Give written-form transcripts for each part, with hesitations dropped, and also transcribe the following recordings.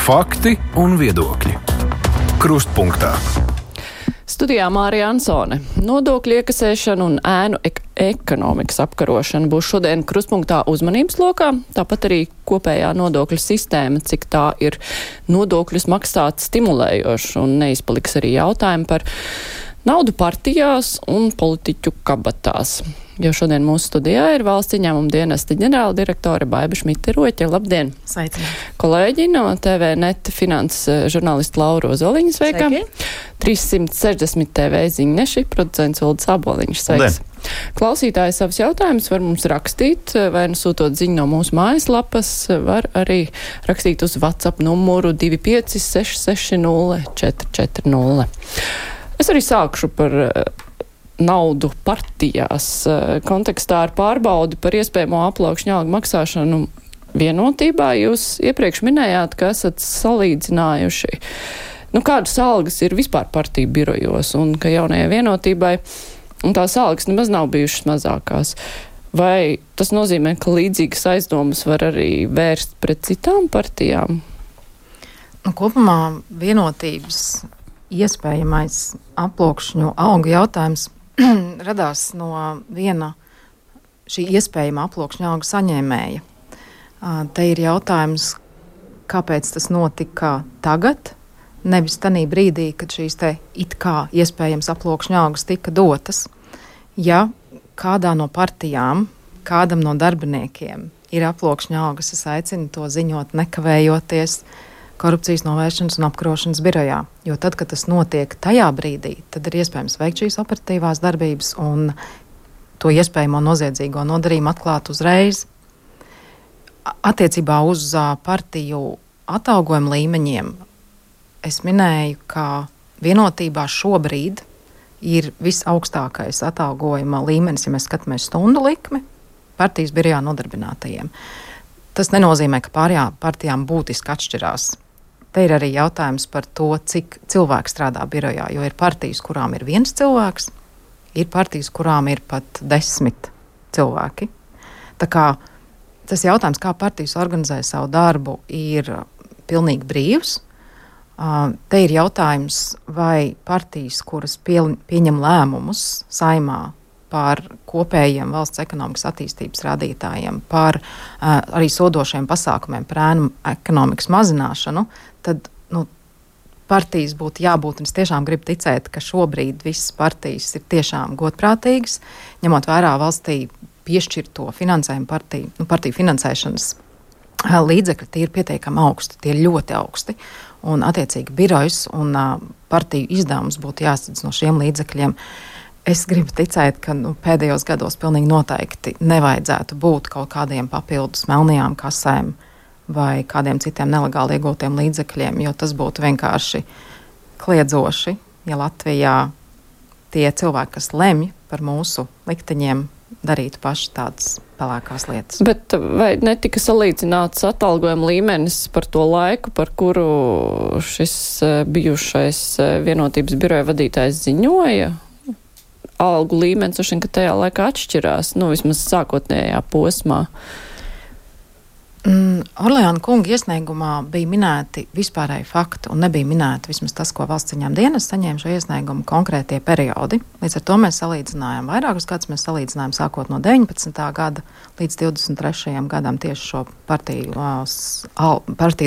Fakti un viedokļi. Krustpunktā. Studijā Mārija Ansone. Nodokļu iekasēšana un ēnu ekonomikas apkarošana būs šodien krustpunktā uzmanības lokā, tāpat arī kopējā nodokļu sistēma, cik tā ir nodokļus maksāt stimulējoši, un neizpaliks arī jautājumi par naudu partijās un politiķu kabatās. Jo šodien mūsu studijā ir valsts ieņēmuma dienesta ģenerāla direktore Baiba Šmite-Roķe. Labdien! Sveicināti! Kolēģi no TVNet finanses žurnālisti Laura Ozoliņa, sveika! 360 TV ziņneši, producents Uldis Aboliņš, sveiks! Klausītāji savus jautājumus var mums rakstīt, vai nu sūtot ziņu no mūsu mājaslapas, var arī rakstīt uz WhatsApp numuru 25660 440. Es arī sākšu par naudu partijās kontekstā ar pārbaudi par iespējamo aplaukšņu algu maksāšanu vienotībā. Jūs iepriekš minējāt, ka esat salīdzinājuši, kādas algas ir vispār partiju birojos un ka jaunajai vienotībai tās algas nemaz nav bijušas mazākās. Vai tas nozīmē, ka līdzīgas aizdomas var arī vērst pret citām partijām? Kopumā vienotības iespējamais aplaukšņu algu jautājums radās no viena šī iespējama aplaukšņu algu saņēmēja. Te ir jautājums, kāpēc tas notika tagad, nevis tanī brīdī, kad šīs te it kā iespējams aplaukšņu algas tika dotas. Ja kādā no partijām, kādam no darbiniekiem ir aplaukšņu algas, es aicinu to ziņot nekavējoties Korupcijas novēršanas un apkarošanas birojā. Jo tad, kad tas notiek tajā brīdī, tad ir iespējams veikt šīs operatīvās darbības un to iespējamo noziedzīgo nodarījumu atklāt uzreiz. Attiecībā uz partiju atalgojumu līmeņiem es minēju, ka vienotībā šobrīd ir visaugstākais atalgojuma līmenis, ja mēs skatāmies stundu likmi, partijas birojā nodarbinātajiem. Tas nenozīmē, ka pārējām partijām būtiski atšķirās. Te ir arī jautājums par to, cik cilvēku strādā birojā, jo ir partijas, kurām ir viens cilvēks, ir partijas, kurām ir pat 10 cilvēki. Tā kā tas jautājums, kā partijas organizē savu darbu, ir pilnīgi brīvs. Te ir jautājums, vai partijas, kuras pieņem lēmumus Saeimā par kopējiem valsts ekonomikas attīstības rādītājiem, par arī sodošiem pasākumiem par ēnu ekonomikas mazināšanu, tad partijas būtu jābūt, un es tiešām gribu ticēt, ka šobrīd visas partijas ir tiešām godprātīgas, ņemot vērā valstī piešķirto finansējumu partiju finansēšanas līdzekļi, tie ir pietiekami augsti, tie ir ļoti augsti, un attiecīgi birojas un partiju izdevums būtu jāsadz no šiem līdzekļiem. Es gribu ticēt, ka pēdējos gados pilnīgi noteikti nevajadzētu būt kaut kādiem papildus melnajām kasēm vai kādiem citiem nelegāli iegūtiem līdzekļiem, jo tas būtu vienkārši kliedzoši, ja Latvijā tie cilvēki, kas lemj par mūsu likteņiem, darītu paši tādas pelēkās lietas. Bet vai netika salīdzināts atalgojuma līmenis par to laiku, par kuru šis bijušais vienotības biroja vadītājs ziņoja? Algu līmenis, ka tajā laikā atšķirās, vismaz sākotnējā posmā. Orleāna kunga iesniegumā bija minēti vispārēji fakti un nebija minēti vismaz tas, ko valsts ieņēmuma dienests saņēma šo iesniegumu konkrētie periodi. Līdz ar to mēs salīdzinājām vairākus gadus, mēs salīdzinājām sākot no 19. gada līdz 23. gadam tieši šo partiju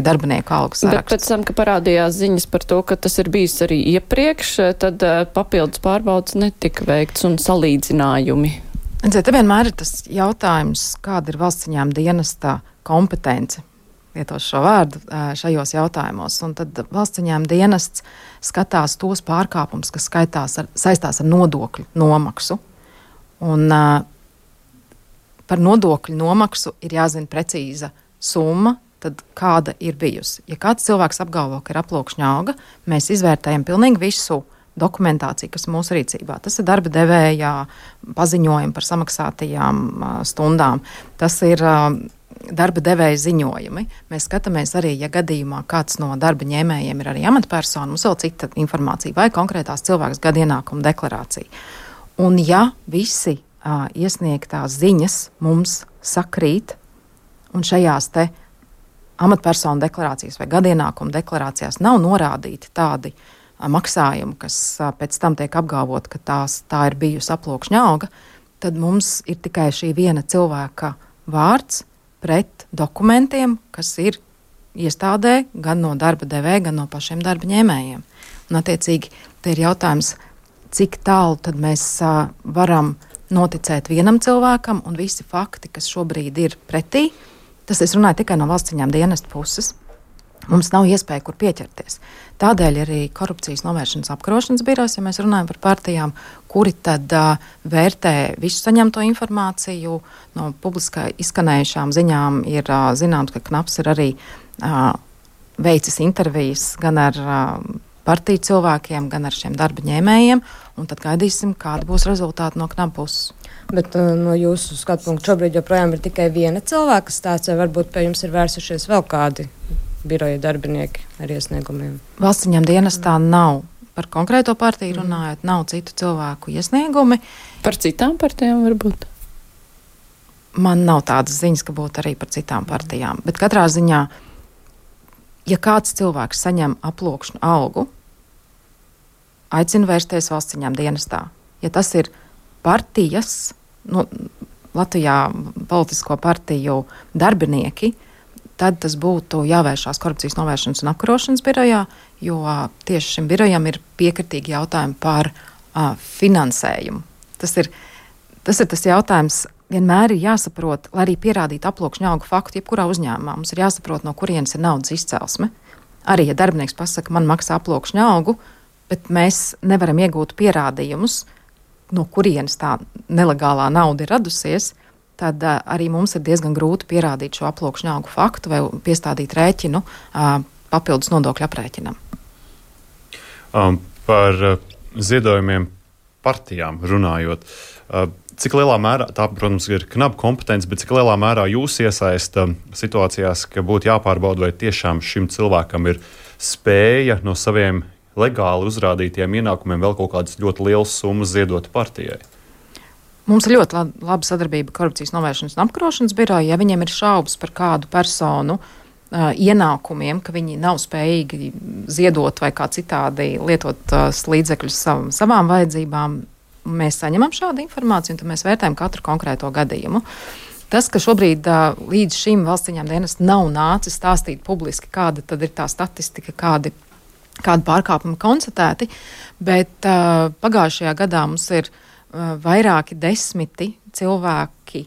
darbinieku algu sarakstu. Bet pēc tam, ka parādījās ziņas par to, ka tas ir bijis arī iepriekš, tad papildus pārbaudas netika veikts un salīdzinājumi. Te vienmēr ir tas jautājums, kāda ir valsts ieņēmuma dienesta kompetence, lietošu šo vārdu, šajos jautājumos. Un tad valsts ieņēmuma dienests skatās tos pārkāpumus, kas saistās ar nodokļu nomaksu. Un par nodokļu nomaksu ir jāzina precīza summa, tad kāda ir bijusi. Ja kāds cilvēks apgalvo, ka ir aplaukšņa alga, mēs izvērtējam pilnīgi visu dokumentāciju, kas mūsu rīcībā. Tas ir darba devējā paziņojumi par samaksātajām stundām. Tas ir darba devēja ziņojumi. Mēs skatāmies arī, ja gadījumā kāds no darba ņēmējiem ir arī amatpersona, mums vēl cita informācija vai konkrētās cilvēks gada ienākuma deklarācija. Un ja visi iesniegtās ziņas mums sakrīt un šajās te amatpersonu deklarācijas vai gadienākuma deklarācijās nav norādīti tādi maksājumi, kas pēc tam tiek apgalvot, ka tā ir bijusi aploksņa alga, tad mums ir tikai šī viena cilvēka vārds pret dokumentiem, kas ir iestādē gan no darba devēja, gan no pašiem darba ņēmējiem. Un, attiecīgi, te ir jautājums, cik tālu tad mēs varam noticēt vienam cilvēkam, un visi fakti, kas šobrīd ir pretī, tas es runāju tikai no valsts ieņēmuma dienesta puses. Mums nav iespēja, kur pieķerties. Tādēļ arī korupcijas novēršanas apkarošanas birojas, ja mēs runājam par partijām, kuri tad vērtē visu saņemto informāciju. No publiskā izskanējušām ziņām ir zināms, ka Knaps ir arī veicis intervijas gan ar partiju cilvēkiem, gan ar šiem darba ņēmējiem, un tad gaidīsim, kādi būs rezultāti no Knapa puses. Bet no jūsu skatu punktu šobrīd joprojām ir tikai viena cilvēka stāsts, vai varbūt pie jums ir vērsušies vēl kādi biroja darbinieki ar iesniegumiem? Valsts ieņēmuma dienestā nav, par konkrēto partiju runājot, nav citu cilvēku iesniegumi. Par citām partijām varbūt? Man nav tādas ziņas, ka būtu arī par citām partijām. Bet katrā ziņā, ja kāds cilvēks saņem aploksņu algu, aicinu vērsties valsts ieņēmuma dienestā. Ja tas ir partijas, Latvijā politisko partiju darbinieki, tad tas būtu jāvēršās korupcijas novēršanas un apkarošanas birojā, jo tieši šim birojam ir piekritīgi jautājumi par finansējumu. Tas ir tas jautājums, vienmēr ir jāsaprot, lai arī pierādītu aploksņa algu faktu, jebkurā uzņēmumā. Mums ir jāsaprot, no kurienes ir naudas izcelsme. Arī, ja darbinieks pasaka, man maksā aploksņa algu, bet mēs nevaram iegūt pierādījumus, no kurienes tā nelegālā nauda ir radusies, tad arī mums ir diezgan grūti pierādīt šo aploksņa algu faktu vai piestādīt rēķinu papildus nodokļu aprēķinam. Par ziedojumiem partijām runājot, cik lielā mērā, tā, protams, ir Knapa kompetence, bet cik lielā mērā jūs iesaista situācijās, ka būtu jāpārbauda, vai tiešām šim cilvēkam ir spēja no saviem legāli uzrādītiem ienākumiem vēl kaut kādas ļoti lielas summas ziedot partijai? Mums ir ļoti laba sadarbība korupcijas novēršanas un apkarošanas biroja. Ja viņiem ir šaubas par kādu personu ienākumiem, ka viņi nav spējīgi ziedot vai kā citādi lietot līdzekļus savām vajadzībām, mēs saņemam šādu informāciju un tad mēs vērtējam katru konkrēto gadījumu. Tas, ka šobrīd līdz šim valsts ieņēmuma dienests nav nācis stāstīt publiski, kāda tad ir tā statistika, kādi pārkāpumi konstatēti, bet pagājušajā gadā mums ir vairāki desmiti cilvēki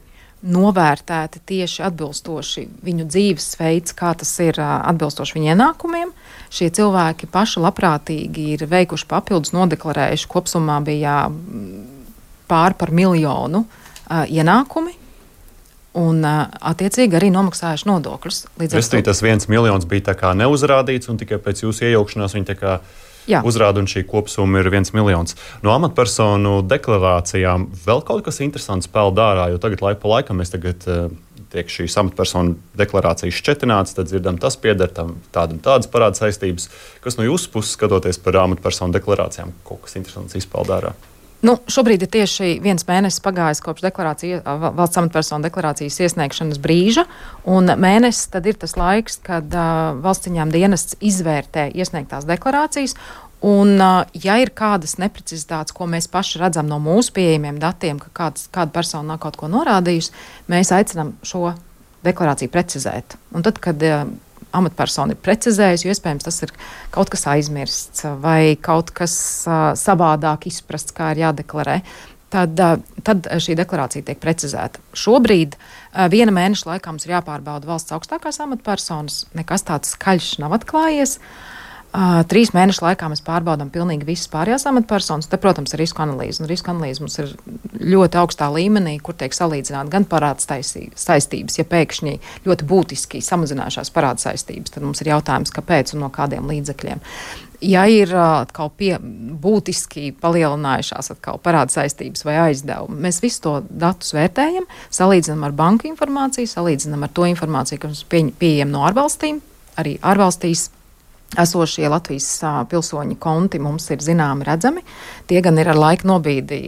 novērtēti tieši atbilstoši viņu dzīvesveids, kā tas ir atbilstoši viņu ienākumiem. Šie cilvēki paši labprātīgi ir veikuši papildus nodeklarējuši, kopsumā bija pār par 1 miljonu ienākumi. Un, attiecīgi, arī nomaksājuši nodokļus. Restī, tas 1 miljons bija tā kā neuzrādīts, un tikai pēc jūsu iejaukšanās viņi tā kā uzrāda, un šī kopsumma ir 1 miljons. No amatpersonu deklarācijām vēl kaut kas interesants peld ārā, jo tagad laiku pa laikam mēs tiek šīs amatpersonu deklarācijas šķetināts, tad dzirdam, tas pieder tam tādas parāda saistības. Kas no jūsu puses skatoties par amatpersonu deklarācijām, kaut kas interesants izpeld ārā? Šobrīd ir tieši 1 mēnesis pagājis kopš valsts amatpersonu deklarācijas iesniegšanas brīža, un mēnesis tad ir tas laiks, kad valsts ieņēmuma dienests izvērtē iesniegtās deklarācijas, un ja ir kādas neprecizitātes, ko mēs paši redzam no mūsu pieejamiem datiem, ka kāda persona nav kaut ko norādījusi, mēs aicinām šo deklarāciju precizēt. Un tad, kad amatpersona ir precizējusi, jo iespējams tas ir kaut kas aizmirsts vai kaut kas savādāk izprasts, kā ir jādeklarē, tad šī deklarācija tiek precizēta. Šobrīd 1 mēneša laikā mums ir jāpārbauda valsts augstākās amatpersonas, nekas tāds skaļš nav atklājies. 3 mēnešu laikā mēs pārbaudām pilnīgi visas pārējās amatpersonas. Te, protams, ir risku analīze. Un risku analīze mums ir ļoti augstā līmenī, kur tiek salīdzināta gan parāda saistības. Ja pēkšņi ļoti būtiski samazinājušās parāda saistības, tad mums ir jautājums, kāpēc un no kādiem līdzekļiem. Ja ir atkal būtiski palielinājušās atkal parāda saistības vai aizdevumi, mēs visu to datus vērtējam, salīdzinām ar banku informāciju, salīdzinām ar to informāciju, kas mums pieejama no ārvalstīm. Arī ārvalstīs esošie Latvijas pilsoņu konti mums ir zināmi, redzami. Tie gan ir ar laika nobīdi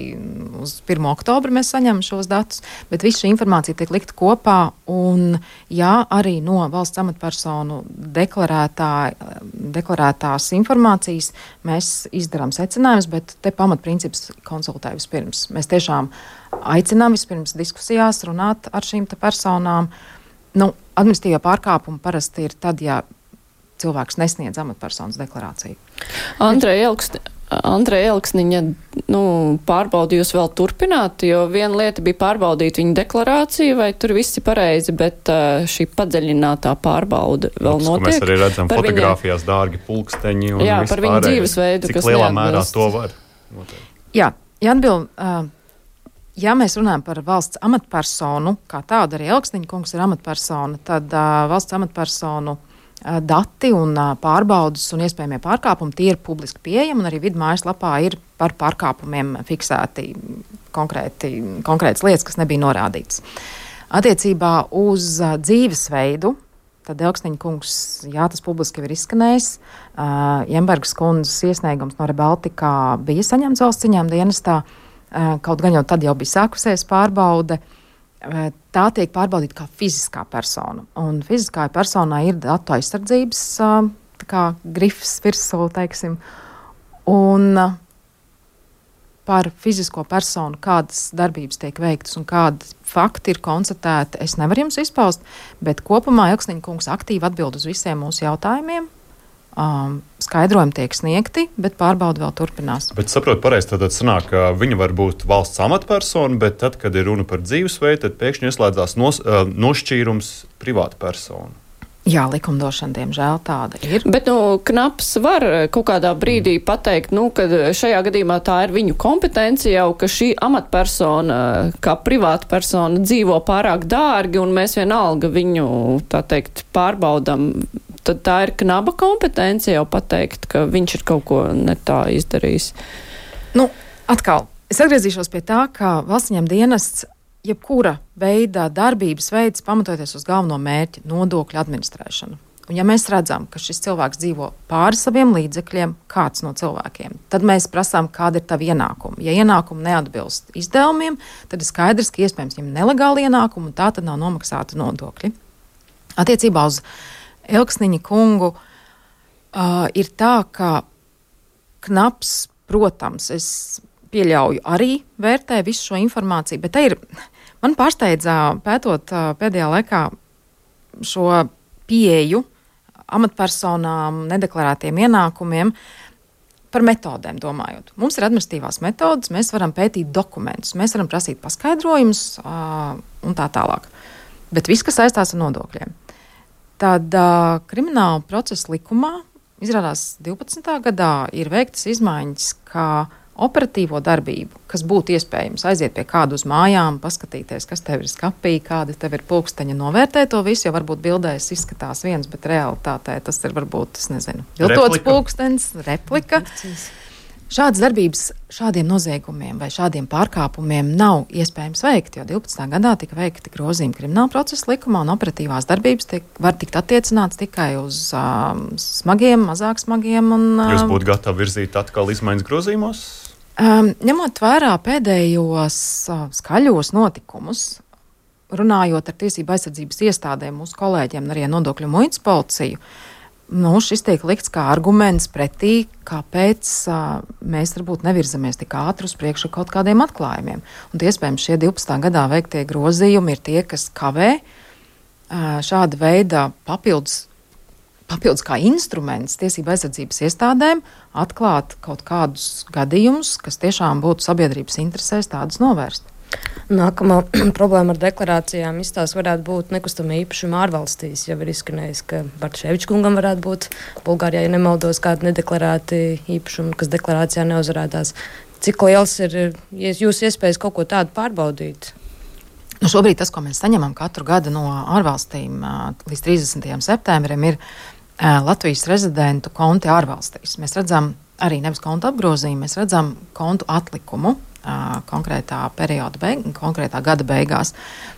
uz 1. oktobru mēs saņemam šos datus, bet visu šī informācija tiek likta kopā, un arī no valsts amatpersonu deklarētās informācijas mēs izdarām secinājumus, bet te pamatprincips konsultē vispirms. Mēs tiešām aicinām vispirms diskusijās runāt ar šīm te personām. Administratīvā pārkāpuma parasti ir tad, ja cilvēks nesniedz amatpersonas deklarāciju. Andreja Elksniņa pārbaudi jūs vēl turpināt, jo viena lieta bija pārbaudīt viņa deklarāciju, vai tur viss ir pareizi, bet šī padziļinātā pārbauda vēl notiek. Mēs arī redzam fotogrāfijās dārgi pulksteņi un viss par viņu dzīvesveidu, cik lielā mērā to var noteikt. Jā, Jānbil, ja mēs runājam par valsts amatpersonu, kā tādu arī Elksniņa kungs ir amatpersona, tad valsts amatpersonu dati un pārbaudas un iespējamie pārkāpumi, tie ir publiski pieejami, un arī vidu mājaslapā ir par pārkāpumiem fiksēti konkrētas lietas, kas nebija norādītas. Attiecībā uz dzīvesveidu, tad Elksniņa kungs, tas publiski ir izskanējis, Jembergas kundzes iesniegums no Rebaltikā bija saņemts valsts ieņēmuma dienestā, kaut gan jau tad jau bija sākusies pārbaude. Tā tiek pārbaudīta kā fiziskā persona. Un fiziskā personā ir datu aizsardzības grifs virsū, teiksim. Un par fizisko personu, kādas darbības tiek veiktas un kādi fakti ir konstatēti, es nevaru jums izpaust, bet kopumā Elksniņa kungs aktīvi atbild uz visiem mūsu jautājumiem. Skaidrojumi tiek sniegti, bet pārbauda vēl turpinās. Bet saprotu pareizi, tad sanāk, ka viņa var būt valsts amatpersona, bet tad, kad ir runa par dzīvesveidu, tad pēkšņi ieslēdzās nošķīrums privāta persona. Jā, likumdošana, diemžēl, tāda ir. Bet, Knaps var kaut kādā brīdī pateikt, ka šajā gadījumā tā ir viņu kompetence jau, ka šī amatpersona, kā privāta persona, dzīvo pārāk dārgi, un mēs vienalga viņu, tā teikt, pārbaudam. Tad tā ir Knaba kompetence jau pateikt, ka viņš ir kaut ko ne tā izdarījis. Atkal, es atgriezīšos pie tā, ka valsts ieņēmuma dienests jebkura veida darbības veids pamatoties uz galveno mērķi - nodokļu administrēšanu. Un ja mēs redzam, ka šis cilvēks dzīvo pāri saviem līdzekļiem, kāds no cilvēkiem, tad mēs prasām, kāda ir tava ienākuma. Ja ienākumi neatbilst izdevumiem, tad ir skaidrs, ka iespējams viņam nelegāli ienākumi, un tā tad nav nomaksāta nodokļi. Attiecībā uz Elksniņa kungu ir tā, ka Knaps, protams, es pieļauju, arī vērtē visu šo informāciju, bet man pārsteidza pētot pēdējā laikā šo pieeju amatpersonām, nedeklarētiem ienākumiem, par metodēm domājot. Mums ir administratīvās metodas, mēs varam pētīt dokumentus, mēs varam prasīt paskaidrojumus un tā tālāk. Bet viss, kas saistās ar nodokļiem. Tad krimināla procesa likumā izrādās 12. gadā ir veiktas izmaiņas, kā operatīvo darbību, kas būtu iespējams aiziet pie kādu uz mājām, paskatīties, kas tev ir skapī, kādi tev ir pulksteņi, novērtēt to visu, jo varbūt bildēs izskatās viens, bet realitātē tas ir varbūt, viltots pulkstenis, replika. Šādas darbības šādiem noziegumiem vai šādiem pārkāpumiem nav iespējams veikt, jo 12. gadā tika veikti grozījumi krimināla procesa likumā, un operatīvās darbības var tikt attiecināts tikai uz smagiem, mazāk smagiem. Jūs būtu gatavi virzīt atkal izmaiņas grozījumos? Ņemot vērā pēdējos skaļos notikumus, runājot ar tiesību aizsardzības iestādēm, mūsu kolēģiem un arī nodokļu muitas policiju, šis tiek likts kā arguments pretī, kāpēc mēs varbūt nevirzamies tik ātri uz priekšu kaut kādiem atklājumiem. Un iespējams šie 12. gadā veiktie grozījumi ir tie, kas kavē šāda veida papildus kā instruments tiesību aizsardzības iestādēm atklāt kaut kādus gadījumus, kas tiešām būtu sabiedrības interesēs tādus novērst. Nākamā problēma ar deklarācijām izstāsts varētu būt nekustamā īpašuma ārvalstīs. Jau ir izskanējis, ka Bartševiča kungam varētu būt Bulgārijā, ja nemaldos, kādi nedeklarēti īpašumi, kas deklarācijā neuzrādās. Cik liels ir jūsu iespējas kaut ko tādu pārbaudīt? Šobrīd tas, ko mēs saņemam katru gadu no ārvalstīm līdz 30. septembrim, ir Latvijas rezidentu konti ārvalstīs. Mēs redzam arī nevis kontu apgrozījumu, mēs redzam kontu atlikumu konkrētā perioda konkrētā gada beigās.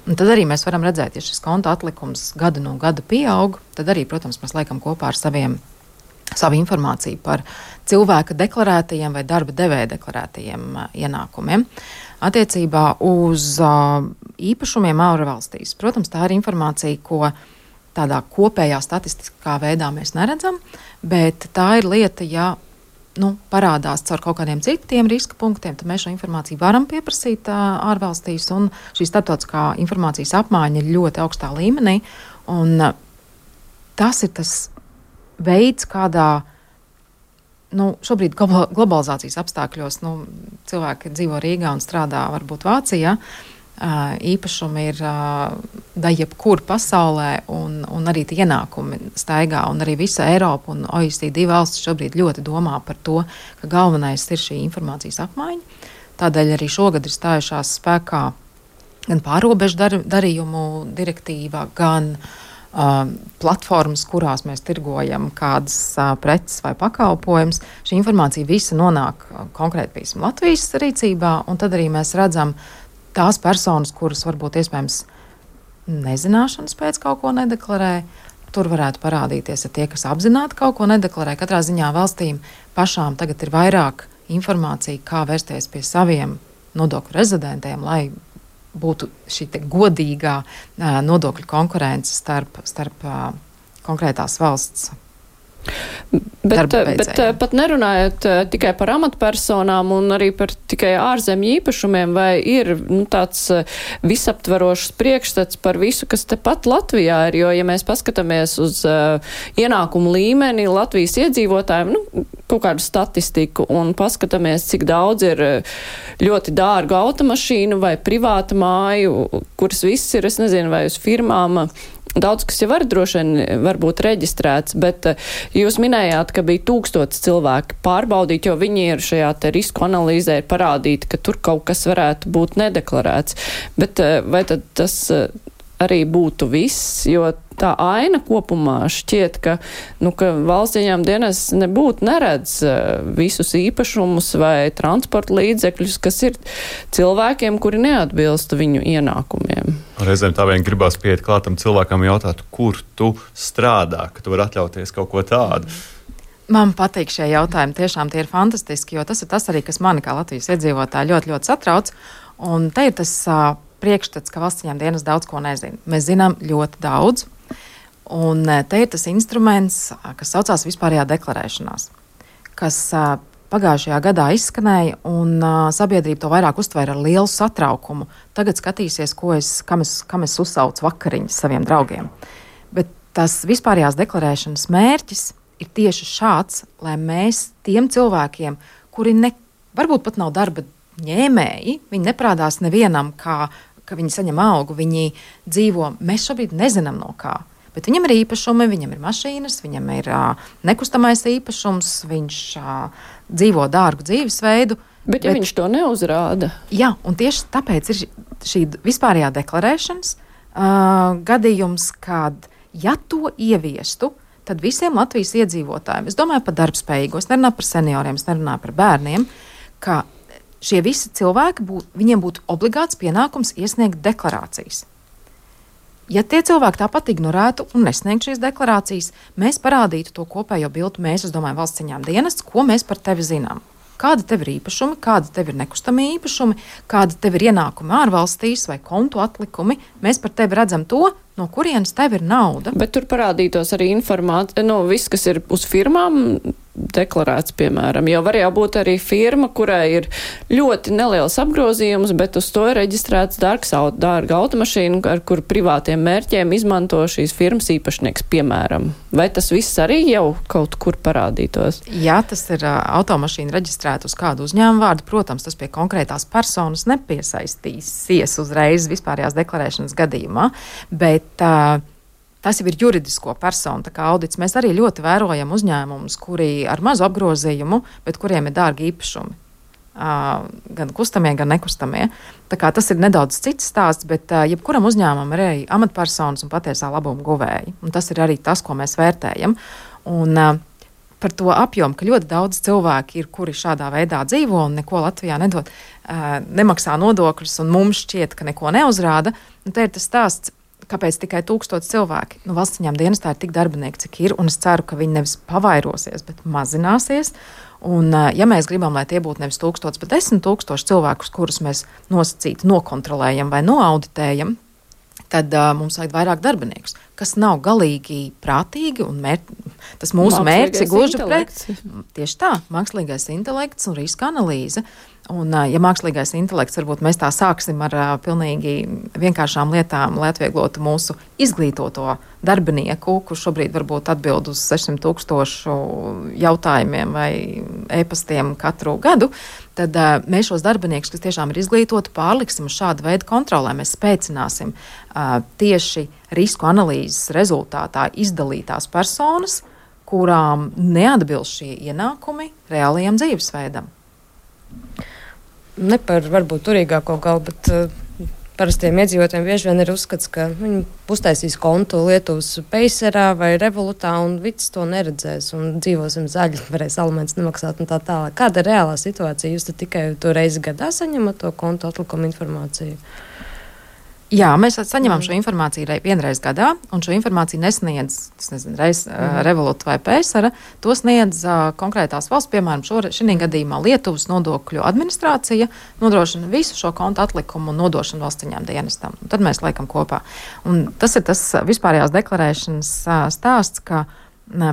Un tad arī mēs varam redzēt, ja šis konta atlikums gadu no gada pieaug, tad arī, protams, mēs liekam kopā ar saviem savu informāciju par cilvēka deklarētajiem vai darba devēja deklarētajiem ienākumiem. Attiecībā uz īpašumiem ārvalstīs. Protams, tā ir informācija, ko tādā kopējā statistiskā veidā mēs neredzam, bet tā ir lieta, ja parādās caur kaut kādiem citiem riska punktiem, tad mēs šo informāciju varam pieprasīt ārvalstīs, un šī starptautiskā informācijas apmaiņa ir ļoti augstā līmenī, un tas ir tas veids, kādā šobrīd globalizācijas apstākļos cilvēki dzīvo Rīgā un strādā varbūt Vācijā, īpašumi ir jebkur pasaulē, un arī tie ienākumi staigā, un arī visa Eiropa un OECD valsts šobrīd ļoti domā par to, ka galvenais ir šī informācijas apmaiņa. Tādēļ arī šogad ir stājušās spēkā gan pārobežu darījumu direktīva, gan platformas, kurās mēs tirgojam kādas preces vai pakalpojumus. Šī informācija visa nonāk konkrēti, piemēram, Latvijas rīcībā, un tad arī mēs redzam tās personas, kuras varbūt iespējams nezināšanas pēc kaut ko nedeklarē. Tur varētu parādīties tie, kas apzināti kaut ko nedeklarē. Katrā ziņā valstīm pašām tagad ir vairāk informācija, kā vērsties pie saviem nodokļu rezidentiem, lai būtu šī godīgā nodokļu konkurence starp konkrētās valsts. Bet pat nerunājot tikai par amatpersonām un arī par tikai ārzemju īpašumiem, vai ir tāds visaptverošs priekšstats par visu, kas tepat Latvijā ir, jo, ja mēs paskatāmies uz ienākumu līmeni Latvijas iedzīvotājiem, kaut kādu statistiku un paskatāmies, cik daudz ir ļoti dārgu automašīnu vai privāta māju, kuras viss ir, es nezinu, vai uz firmām. Daudz, kas jau var droši vien varbūt reģistrēts, bet jūs minējāt, ka bija 1000 cilvēki pārbaudīt, jo viņi ir šajā te risku analīzē parādīti, ka tur kaut kas varētu būt nedeklarēts. Bet vai tad tas arī būtu viss, jo tā aina kopumā šķiet, ka valsts ieņēmuma dienests nebūtu neredz visus īpašumus vai transporta līdzekļus, kas ir cilvēkiem, kuri neatbilst viņu ienākumiem. Reizēm tā vien gribās pieiet klātam cilvēkam jautāt, kur tu strādā, ka tu vari atļauties kaut ko tādu. Man patīk šie jautājumi, tiešām tie ir fantastiski, jo tas ir tas arī, kas mani kā Latvijas iedzīvotāji ļoti, ļoti satrauc. Un te ir tas priekšstats, ka valsts ieņēmuma dienests daudz ko nezina. Mēs zinām ļoti daudz, un te ir tas instruments, kas saucās vispārējā deklarēšanās, kas pagājušajā gadā izskanēja, un sabiedrība to vairāk uztvēra ar lielu satraukumu. Tagad skatīsies, kam es uzsaucu vakariņas saviem draugiem. Bet tas vispārējās deklarēšanas mērķis ir tieši šāds, lai mēs tiem cilvēkiem, kuri varbūt pat nav darba ņēmēji, viņi neprādās nevienam, ka viņi saņem algu, viņi dzīvo, mēs šobrīd nezinām no kā. Bet viņam ir īpašumi, viņam ir mašīnas, viņam ir nekustamais īpašums, viņš dzīvo dārgu dzīvesveidu. Bet ja viņš to neuzrāda? Jā, un tieši tāpēc ir šī vispārējā deklarēšanas gadījums, kad ja to ieviestu, tad visiem Latvijas iedzīvotājiem, es domāju par darbspējīgo, es nerunāju par senioriem, es nerunāju par bērniem, ka šie visi cilvēki, viņiem būtu obligāts pienākums iesniegt deklarācijas. Ja tie cilvēki tāpat ignorētu un nesniegtu šīs deklarācijas, mēs parādītu to kopējo bildu, es domāju, valsts ieņēmuma dienests, ko mēs par tevi zinām. Kāda tev ir īpašumi, kāda tev ir nekustamie īpašumi, kāda tev ir ienākumi ārvalstīs vai kontu atlikumi. Mēs par tevi redzam to, no kurienes tev ir nauda. Bet tur parādītos arī informācija, viss, kas ir uz firmām deklarēts, piemēram, jo var jau būt arī firma, kurai ir ļoti neliels apgrozījums, bet uz to ir reģistrēts dārga automašīna, ar kur privātiem mērķiem izmanto šīs firmas īpašnieks, piemēram. Vai tas viss arī jau kaut kur parādītos? Jā, tas ir automašīna reģistrēta uz kādu uzņēmumu vārdu. Protams, tas pie konkrētās personas nepiesaistīsies uzreiz vispārējās deklarēšanas gadījumā, bet tas jau ir juridisko personu, tā kā audits. Mēs arī ļoti vērojam uzņēmumus, kuri ar mazu apgrozījumu, bet kuriem ir dārgi īpašumi. Gan kustamie, gan nekustamie. Tā kā tas ir nedaudz cits stāsts, bet jebkuram uzņēmumam ir arī amatpersonas un patiesā labuma guvēji. Un tas ir arī tas, ko mēs vērtējam. Un par to apjomu, ka ļoti daudz cilvēki ir, kuri šādā veidā dzīvo un neko Latvijā nedod, nemaksā nodokļus un mums šķiet, ka neko neuzrāda. Un te ir tas stāsts, kāpēc tikai 1000 cilvēki? Valsts ieņēmuma dienestā ir tik darbinieki, cik ir, un es ceru, ka viņi nevis pavairosies, bet mazināsies. Un, ja mēs gribam, lai tie būtu nevis 1000, bet 10 000 cilvēkus, kurus mēs nosacīti nokontrolējam vai noauditējam, tad mums vajag vairāk darbiniekus, kas nav galīgi prātīgi, un tas mūsu mērķis ir gluži pret. Tieši tā, mākslīgais intelekts un riska analīze. Un, ja mākslīgais intelekts, varbūt mēs tā sāksim ar pilnīgi vienkāršām lietām, lai atvieglotu mūsu izglītoto darbinieku, kurš šobrīd varbūt atbild uz 600 000 jautājumiem vai e-pastiem katru gadu, tad mēs šos darbiniekus, kas tiešām ir izglītoti, pārliksim uz šādu veidu kontrolē. Mēs spēcināsim tieši risku analīzes rezultātā izdalītās personas, kurām neatbilst šie ienākumi reālajam dzīvesveidam. Ne par varbūt turīgāko galu, bet parastiem iedzīvotājiem bieži vien ir uzskats, ka viņi uztaisīs kontu Lietuvas Payserā vai Revolutā un viss to neredzēs un dzīvosim zaļi, varēs alimentus nemaksāt un tā tālāk. Kāda ir reālā situācija? Jūs tikai to reizi gadā saņemat to kontu atlikumu informāciju? Jā, mēs saņemam šo informāciju vienreiz gadā, un šo informāciju nesniedz, Revolūta vai Paysera, to sniedz konkrētās valsts, piemēram, šī gadījumā Lietuvas nodokļu administrācija nodrošina visu šo kontu atlikumu un nodošanu valsts ieņēmuma dienestam. Un tad mēs liekam kopā. Un tas ir tas vispārējās deklarēšanas stāsts, ka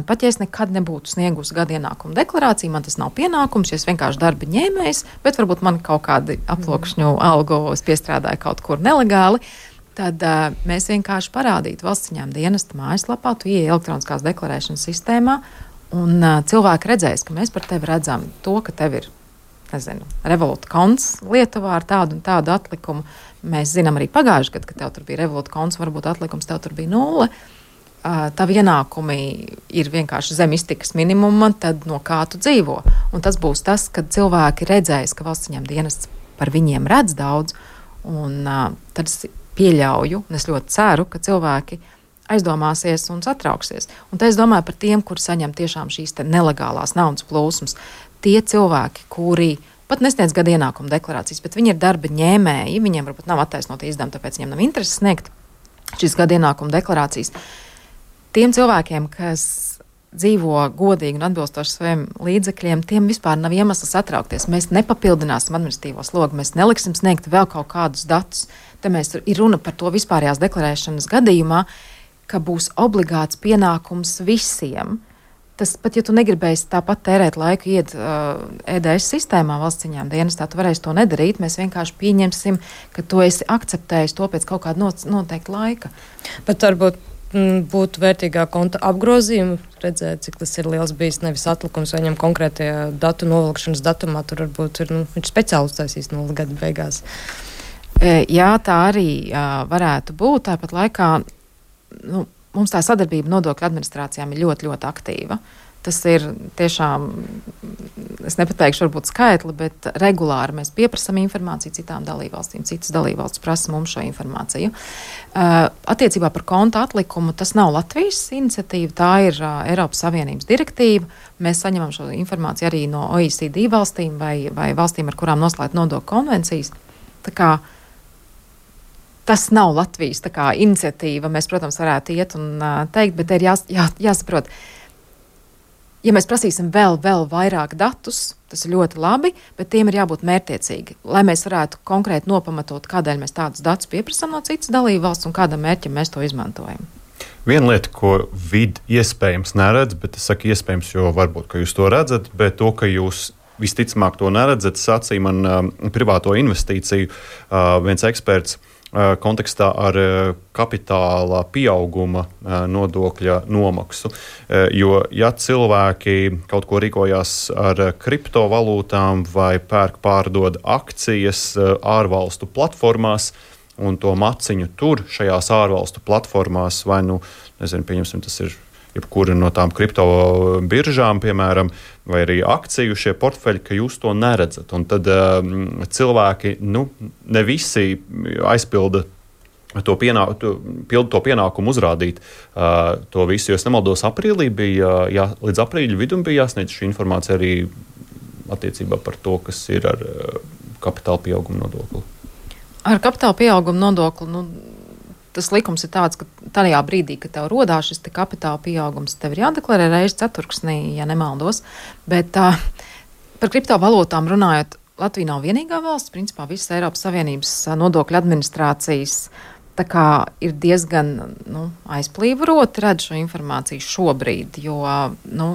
pat ja es nekad nebūtu sniegusi gada ienākumu deklarāciju, man tas nav pienākums, ja es vienkārši darba ņēmējs, bet varbūt man kaut kādi aploksņu algu piestrādāja kaut kur nelegāli, tad mēs vienkārši parādītu valsts ieņēmuma dienesta mājaslapā, tu ieej elektroniskās deklarēšanas sistēmā, un cilvēki redzēs, ka mēs par tevi redzam to, ka tev ir, Revolūta konts Lietuvā ar tādu un tādu atlikumu. Mēs zinām arī pagājuši gadu, ka tev tur bija Revolūta konts, varbūt atlikums tev tur bija 0. Tavi ienākumi ir vienkārši zem iztikas minimuma, tad no kā tu dzīvo. Un tas būs tas, kad cilvēki redzēs, ka valsts ieņēmuma dienests par viņiem redz daudz, un tad es pieļauju, un es ļoti ceru, ka cilvēki aizdomāsies un satrauksies. Un te es domāju par tiem, kuri saņem tiešām šīs nelegālās naudas plūsmas. Tie cilvēki, kuri pat nesniedz gada ienākumu deklarācijas, bet viņi ir darba ņēmēji, viņiem varbūt nav attaisnota izdevuma, tāpēc viņiem nav interesi sniegt šīs gada ienākumu deklarācijas. Tiem cilvēkiem, kas dzīvo godīgi un atbilstoši saviem līdzekļiem, tiem vispār nav iemesls satraukties. Mēs nepapildināsim administratīvo slogu, mēs neliksim sniegt vēl kaut kādus datus. Te mēs ir runa par to vispārējās deklarēšanas gadījumā, ka būs obligāts pienākums visiem. Tas pat, ja tu negribēsi tāpat tērēt laiku iet EDS sistēmā valsts ieņēmuma dienestā, tu varēsi to nedarīt. Mēs vienkārši pieņemsim, ka tu esi akceptējis to pēc kaut kāda noteikta laika. Bet varbūt būtu vērtīgā konta apgrozījuma, redzēt, cik tas ir liels bijis, nevis atlikums vai ņem konkrētajā datu novilkšanas datumā, tur varbūt ir, viņš speciāli uztaisīs 0 gada beigās. Jā, tā arī varētu būt. Tāpat laikā mums tā sadarbība nodokļu administrācijām ir ļoti, ļoti aktīva. Tas ir tiešām, es nepateikšu varbūt skaitli, bet regulāri mēs pieprasam informāciju citām dalībvalstīm. Citas dalībvalstis prasa mums šo informāciju. Attiecībā par konta atlikumu tas nav Latvijas iniciatīva, tā ir Eiropas Savienības direktīva. Mēs saņemam šo informāciju arī no OECD valstīm vai valstīm, ar kurām noslēgt nodokļu konvencijas. Tā kā tas nav Latvijas iniciatīva, mēs, protams, varētu iet un teikt, bet ir jāsaprot. Ja mēs prasīsim vēl vairāk datus, tas ir ļoti labi, bet tiem ir jābūt mērķtiecīgi, lai mēs varētu konkrēti nopamatot, kādēļ mēs tādus datus pieprasām no citas dalībvalsts un kādam mērķim mēs to izmantojam. Viena lieta, ko vidi iespējams neredz, bet es saku iespējams, jo varbūt, ka jūs to redzat, bet to, ka jūs visticamāk to neredzat, sacīja man privāto investīciju viens eksperts kontekstā ar kapitāla pieauguma nodokļa nomaksu. Jo, ja cilvēki kaut ko rīkojās ar kriptovalūtām vai pārdod akcijas ārvalstu platformās un to maciņu tur šajās ārvalstu platformās, vai pieņemsim, tas ir jebkura no tām kripto biržām, piemēram, vai arī akciju šie portfeļi, ka jūs to neredzat. Un tad cilvēki, ne visi aizpilda to pienākumu uzrādīt to visu. Jo es nemaldos, aprīlī bija, līdz aprīļa vidum bija jāsniedz šī informācija arī attiecībā par to, kas ir ar kapitāla pieauguma nodokli. Ar kapitāla pieauguma nodokli, tas likums ir tāds, ka tajā brīdī, kad tev rodās šis kapitāla pieaugums, tev ir jādeklarē reizi ceturksnī, ja nemaldos. Bet par kriptovalūtām runājot, Latvija nav vienīgā valsts, principā visas Eiropas Savienības nodokļu administrācijas tā kā ir diezgan aizplīvoroti redz šo informāciju šobrīd, jo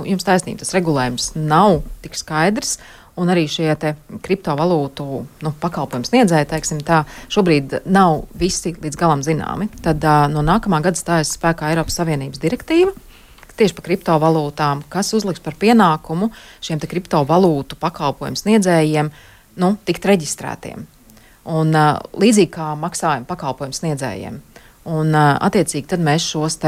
jums taisnība, tas regulējums nav tik skaidrs. Un arī šie kriptovalūtu pakalpojumu sniedzēji, teiksim tā, šobrīd nav visi līdz galam zināmi. Tad no nākamā gada stājas spēkā Eiropas Savienības direktīva tieši par kriptovalūtām, kas uzliks par pienākumu šiem kriptovalūtu pakalpojumu sniedzējiem tikt reģistrētiem. Un līdzīgi kā maksājuma pakalpojumu sniedzējiem. Un attiecīgi tad mēs šos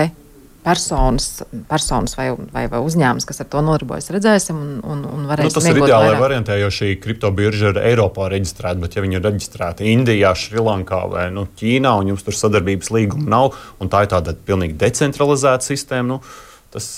personas vai uzņēmums, kas ar to nodarbojas, redzēsim un varēsim tas ir ideālai variantē, jo šī kriptobirža ir Eiropā reģistrēta, bet ja viņi ir reģistrēti Indijā, Šrilankā vai Ķīnā, un jums tur sadarbības līguma nav, un tā ir tāda pilnīgi decentralizēta sistēma, tas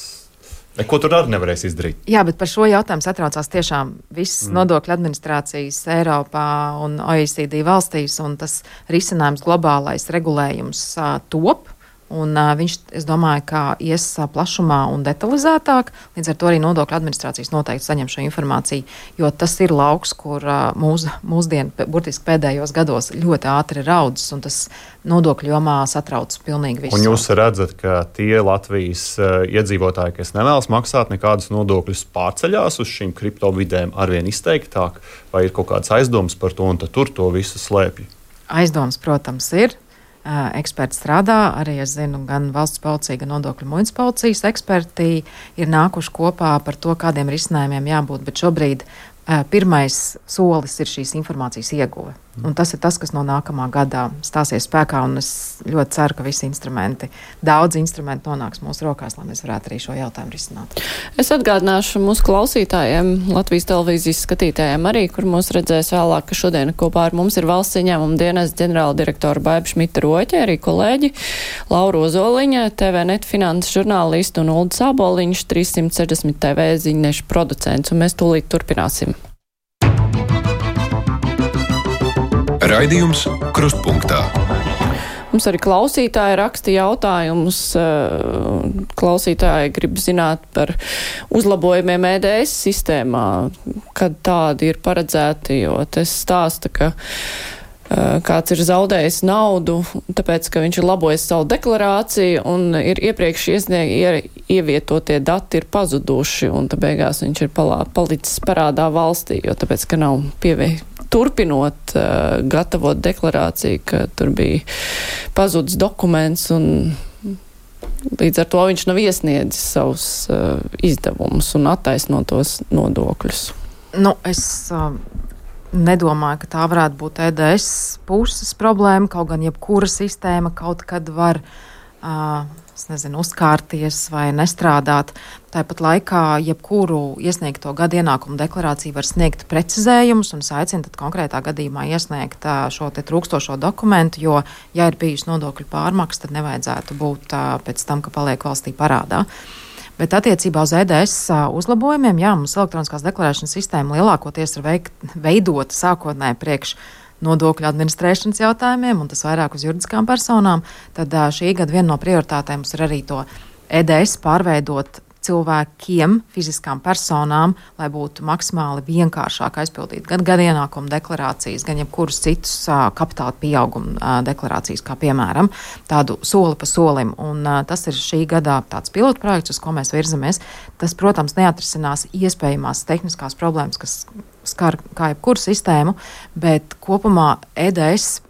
neko tur arī nevarēs izdarīt. Jā, bet par šo jautājumu satraucās tiešām visas nodokļu administrācijas Eiropā un OECD valstīs, un tas risinājums globālais regulējums top. Un viņš, es domāju, ka ies plašumā un detalizētāk, līdz ar to arī nodokļu administrācijas noteikti saņem šo informāciju, jo tas ir lauks, kur mūsdienu, burtiski pēdējos gados ļoti ātri raudzes, un tas nodokļu jomā satrauc pilnīgi visu. Un jūs redzat, ka tie Latvijas iedzīvotāji, kas nevēlas maksāt nekādus nodokļus, pārceļās uz šīm kriptovidēm arvien izteiktāk, vai ir kaut kāds aizdoms par to, un tad tur to visu slēpj? Aizdoms, protams, ir. Eksperti strādā, arī es zinu, gan valsts policija, gan nodokļu muitas policijas eksperti ir nākuši kopā par to, kādiem risinājumiem jābūt, bet šobrīd pirmais solis ir šīs informācijas ieguve. Un tas ir tas, kas no nākamā gadā stāsies spēkā, un es ļoti ceru, ka daudz instrumenti nonāks mūsu rokās, lai mēs varētu arī šo jautājumu risināt. Es atgādināšu mūsu klausītājiem, Latvijas televīzijas skatītājiem arī, kur mūs redzēs vēlāk, ka šodien kopā ar mums ir valsts ieņēmuma dienas ģenerāla direktora Baiba Šmita-Roķe, arī kolēģi Laura Ozoliņa, TVNet finanses žurnālisti un Ulda Sāboliņš, 360 TV ziņnešu producents, un mēs tūlīt turpināsim. Raidījums Krustpunktā. Mums arī klausītāji raksta jautājumus. Klausītāji grib zināt par uzlabojumiem EDS sistēmā, kad tādi ir paredzēti, jo tas stāsta, ka kāds ir zaudējis naudu, tāpēc, ka viņš ir labojis savu deklarāciju un ir iepriekš ievietotie dati ir pazuduši, un tā beigās viņš ir palicis parādā valstī, jo tāpēc, ka nav turpinot gatavot deklarāciju, ka tur bija pazudis dokuments, un līdz ar to viņš nav iesniedzis savus izdevumus un attaisnotos nodokļus. Es nedomāju, ka tā varētu būt EDS puses problēma, kaut gan jebkura sistēma kaut kad var uzkārties vai nestrādāt. Tāpat laikā jebkuru iesniegto gada ienākumu deklarāciju var sniegt precizējumus un aicina tad konkrētā gadījumā iesniegt šo te trūkstošo dokumentu, jo, ja ir bijusi nodokļu pārmaksa, tad nevajadzētu būt pēc tam, ka paliek valstī parādā. Bet attiecībā uz EDS uzlabojumiem, mums elektroniskās deklarēšanas sistēma lielākoties ir veidota sākotnēji priekš nodokļu administrēšanas jautājumiem, un tas vairāk uz juridiskām personām. Tad šī gada viena no prioritātēm mums ir arī to EDS pārveidot cilvēkiem, fiziskām personām, lai būtu maksimāli vienkāršāk aizpildīt gan ienākumu deklarācijas, gan jebkurus citus kapitāla pieauguma deklarācijas, kā piemēram tādu soli pa solim. Un tas ir šī gadā tāds pilotprojekts, uz ko mēs virzamies. Tas, protams, neatrisinās iespējamās tehniskās problēmas, kas skar kā jebkuru sistēmu, bet kopumā EDS,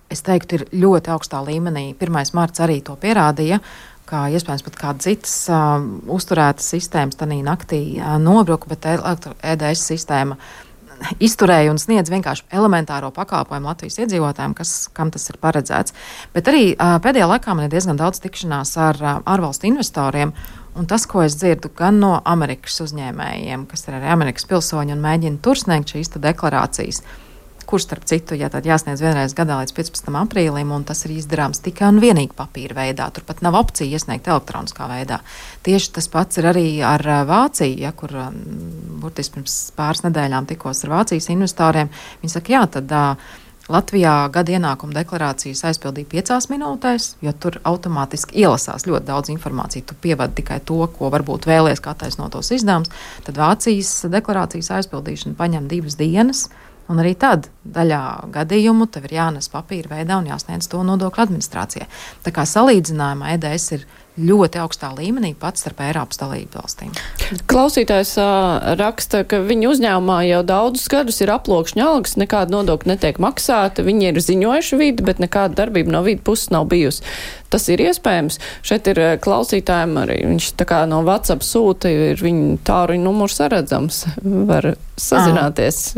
es teiktu, ir ļoti augstā līmenī. 1. marts arī to pierādīja, kā iespējams pat kāda citas uzturētas sistēmas tanī naktī nobruka, bet EDS sistēma izturēja un sniedz vienkārši elementāro pakalpojumu Latvijas iedzīvotājiem, kam tas ir paredzēts. Bet arī pēdējā laikā man ir diezgan daudz tikšanās ar ārvalstu investoriem, un tas, ko es dzirdu gan no Amerikas uzņēmējiem, kas ir arī Amerikas pilsoņi un mēģina tur sniegt šīs deklarācijas, kurš, starp citu, jāsniedz vienreiz gadā līdz 15. aprīlim, un tas ir izdarāms tikai un vienīgi papīra veidā. Turpat nav opcija iesniegt elektroniskā veidā. Tieši tas pats ir arī ar Vāciju, kur burtiski pirms pāris nedēļām tikos ar Vācijas investoriem. Viņi saka, tad Latvijā gada ienākuma deklarācijas aizpildīja 5 minūtēs, jo tur automātiski ielasās ļoti daudz informāciju. Tu pievadi tikai to, ko varbūt vēlies kā attaisnotos izdevumus. Tad Vācijas deklarācijas aizpildīšana paņem 2 dienas. Un arī tad daļā gadījumu tev ir jānes papīra veidā un jāsniedz to nodokļu administrācijai. Tā kā salīdzinājumā EDS ir ļoti augstā līmenī pats starp Eiropas dalību valstīm. Klausītājs raksta, ka viņu uzņēmumā jau daudzus gadus ir aploksņa algas, nekāda nodokļa netiek maksāta, viņi ir ziņojuši vidi, bet nekāda darbība no vidi puses nav bijusi. Tas ir iespējams. Šeit ir klausītājiem arī, viņš tā kā no WhatsApp sūta, ir viņa tāruņa numurs saredzams, var sazināties.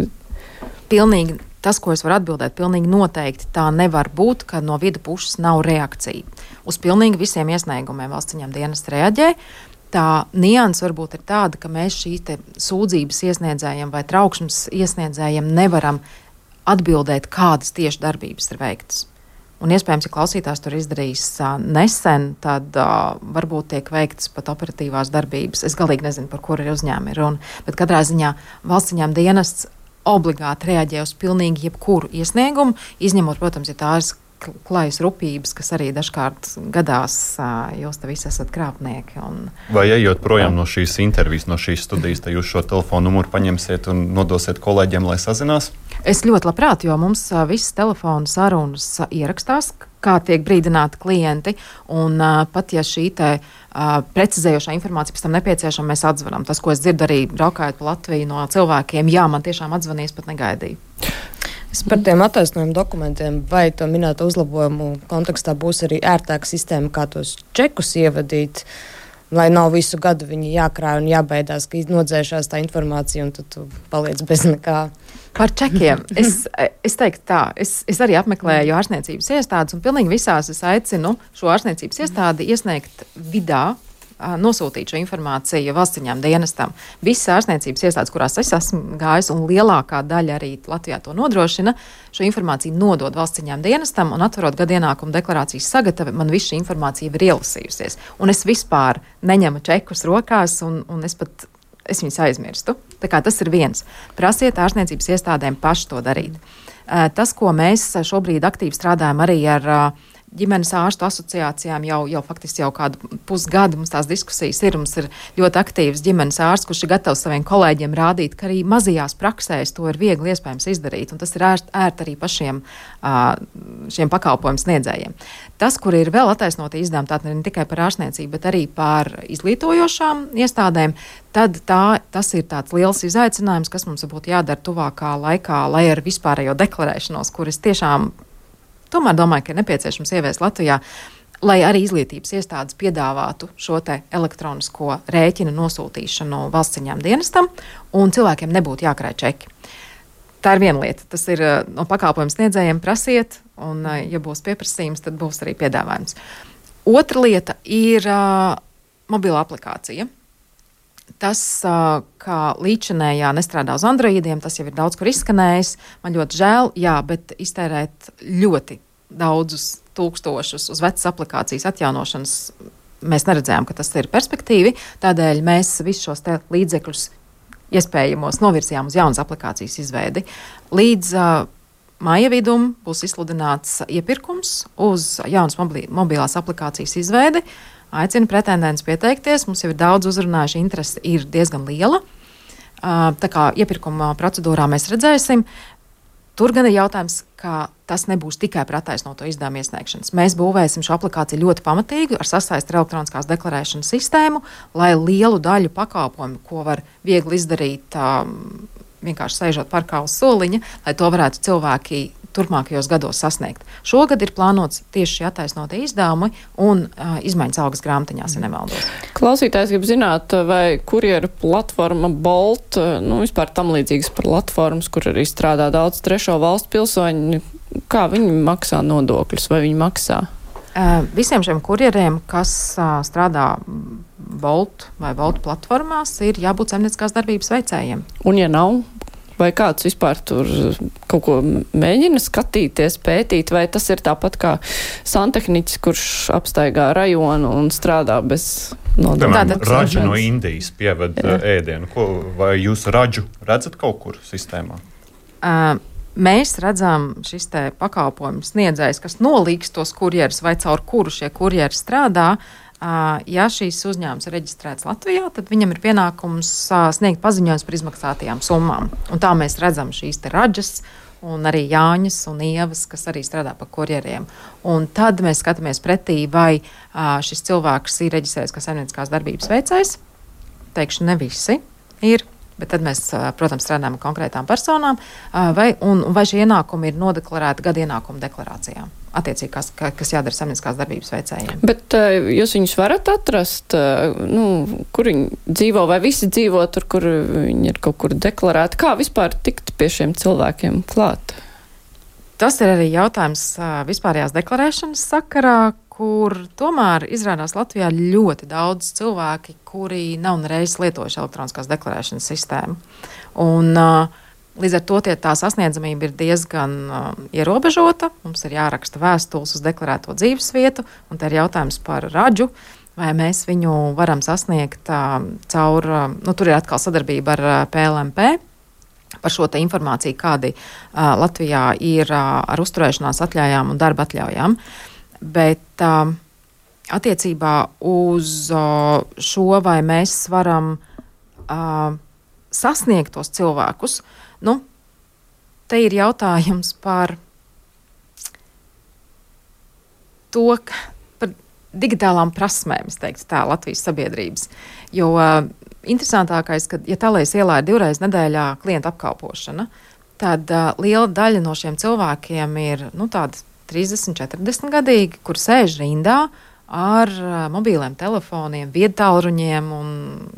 Pilnīgi tas, ko es varu atbildēt, pilnīgi noteikti tā nevar būt, ka no vida puses nav reakcija. Uz pilnīgi visiem iesniegumiem valsts ieņēmuma dienests reaģē. Tā nianse varbūt ir tāda, ka mēs šīs te sūdzības iesniedzējiem vai trauksmes iesniedzējiem nevaram atbildēt, kādas tieši darbības ir veiktas. Un iespējams, ja klausītājs tur izdarījis nesen, tad varbūt tiek veiktas pat operatīvās darbības. Es galīgi nezinu, par kuru ir uzņēmumi runa, bet katrā ziņā valsts ieņēmuma dienests obligāti reaģē uz pilnīgi jebkuru iesniegumu, izņemot, protams, ja tā ir klajas rupības, kas arī dažkārt gadās, jūs te visi esat krāpnieki. Vai ejot projām no šīs intervijas, no šīs studijas, tad jūs šo telefonu numuru paņemsiet un nodosiet kolēģiem, lai sazinās? Es ļoti labprāt, jo mums visas telefonu sarunas ierakstās, kā tiek brīdināti klienti, un pat ja šī te precizējošā informācija pēc tam nepieciešama, mēs atzvanām. Tas, ko es dzirdu arī braukājot pa Latviju no cilvēkiem, jā, man tiešām atzvanīs, pat negaidīju. Es par tiem attaisnojumu dokumentiem vai to minēto uzlabojumu kontekstā būs arī ērtāka sistēma, kā tos čekus ievadīt, lai nav visu gadu viņi jākrāj un jābaidās, ka nodzēšās tā informācija un tad tu paliec bez nekā. Par čekiem. Es teiktu tā, es arī apmeklēju ārstniecības iestādes un pilnīgi visās es aicinu šo ārstniecības iestādi iesniegt vidā, nosūtīt šo informāciju valsts ieņēmuma dienestam. Visas ārstniecības iestādes, kurās es esmu gājis, un lielākā daļa arī Latvijā to nodrošina, šo informāciju nodod valsts ieņēmuma dienestam, un atverot gada ienākuma deklarācijas sagatavi, man viss šī informācija ir ielasījusies. Un es vispār neņemu čekus rokās, un es viņus aizmirstu. Tā kā tas ir viens. Prasiet ārstniecības iestādēm paši to darīt. Tas, ko mēs šobrīd aktīvi strādājam arī ar ģimenes ārstu asociācijām jau faktiski jau kādu pusgadu mums tās diskusijas ir. Mums ir ļoti aktīvs ģimenes ārsts, kurš ir gatavs saviem kolēģiem rādīt, ka arī mazajās praksēs to ir viegli iespējams izdarīt. Un tas ir ērti arī pašiem šiem pakalpojumu sniedzējiem. Tas, kur ir vēl attaisnoti izdevumi, tātad ne tikai par ārstniecību, bet arī par izglītojošām iestādēm, tad tas ir tāds liels izaicinājums, kas mums būtu jādara tuvākā laikā, lai ar vispārējo deklarēšanos, kuras tiešām tomēr domāju, ka ir nepieciešams ieviest Latvijā, lai arī izglītības iestādes piedāvātu šo te elektronisko rēķinu nosūtīšanu valsts ieņēmuma dienestam, un cilvēkiem nebūtu jākrāj čeki. Tā ir viena lieta. Tas ir no pakalpojumu sniedzējiem prasiet, un ja būs pieprasījums, tad būs arī piedāvājums. Otra lieta ir mobila aplikācija. Tas, kā līdzinējā nestrādā uz Androidiem, tas jau ir daudz kur izskanējis. Man ļoti žēl, jā, bet iztērēt ļoti daudzus tūkstošus uz vecas aplikācijas atjaunošanas mēs neredzējām, ka tas ir perspektīvi. Tādēļ mēs visus šos līdzekļus iespējamos novirzījām uz jaunas aplikācijas izveidi. Līdz māja vidum būs izsludināts iepirkums uz jaunas mobilās aplikācijas izveidi. Aicinu pretendents pieteikties. Mums jau ir daudz uzrunājuši, interese ir diezgan liela. Tā kā iepirkuma procedūrā mēs redzēsim. Tur gan ir jautājums, ka tas nebūs tikai par attaisnoto izdevumu iesniegšanas. Mēs būvēsim šo aplikāciju ļoti pamatīgi ar sasaisti ar elektroniskās deklarēšanas sistēmu, lai lielu daļu pakalpojumu, ko var viegli izdarīt vienkārši sēžot parkā uz soliņa, lai to varētu cilvēki turpmākajos gados sasniegt. Šogad ir plānots tieši šie attaisnotie izdevumi un izmaiņas algas grāmatiņās, ja nemaldos. Klausītājs grib zināt, vai kurjeru platforma Bolt, vispār tam līdzīgas platformas, kur arī strādā daudz trešo valstu pilsoņu, kā viņi maksā nodokļus, vai viņi maksā? Visiem šiem kurjeriem, kas strādā Bolt vai Bolt platformās, ir jābūt saimnieciskās darbības veicējiem. Un ja nav? Vai kāds vispār tur kaut ko mēģina skatīties, pētīt, vai tas ir tāpat kā santehniķis, kurš apstaigā rajonu un strādā bez nodokļiem? Raģi no Indijas pieved ēdienu. Vai jūs raģu redzat kaut kur sistēmā? mēs redzam šis te pakalpojumu sniedzējs, kas nolīgs tos kurjerus vai caur kuru šie kurjeri strādā. Ja šīs uzņēmums ir reģistrēts Latvijā, tad viņam ir pienākums sniegt paziņojums par izmaksātajām summām. Un tā mēs redzam šīs te raģas un arī Jāņas un Ievas, kas arī strādā par kurjeriem. Un tad mēs skatāmies pretī, vai šis cilvēks ir reģistrēts kā saimnieciskās darbības veicējs. Teikšu, ne visi ir. Bet tad mēs, protams, strādājam ar konkrētām personām, vai šie ienākumi ir nodeklarēti gada ienākuma deklarācijām, attiecīgi, kas jādara saimnieciskās darbības veicējiem. Bet jūs viņus varat atrast, kur viņi dzīvo, vai visi dzīvo tur, kur viņi ir kaut kur deklarēti? Kā vispār tikt pie šiem cilvēkiem klāt? Tas ir arī jautājums vispārējās deklarēšanas sakarā, kur tomēr izrādās Latvijā ļoti daudz cilvēki, kuri nav nereiz lietojuši elektroniskās deklarēšanas sistēmu. Un līdz ar to tā sasniedzamība ir diezgan ierobežota. Mums ir jāraksta vēstules uz deklarēto dzīvesvietu, un te ir jautājums par raģu, vai mēs viņu varam sasniegt caur, tur ir atkal sadarbība ar PLMP, par šo te informāciju, kādi Latvijā ir ar uzturēšanās atļaujām un darba atļaujām. Bet attiecībā uz šo, vai mēs varam sasniegt tos cilvēkus, te ir jautājums par to, par digitālām prasmēm, es teiktu tā, Latvijas sabiedrības. Jo interesantākais, ka, ja tālēs ielā ir 2 reizes nedēļā klienta apkalpošana, tad liela daļa no šiem cilvēkiem ir, tādi 30, 40 gadīgi, kur sēž rindā ar mobīliem telefoniem, viedtālruņiem un,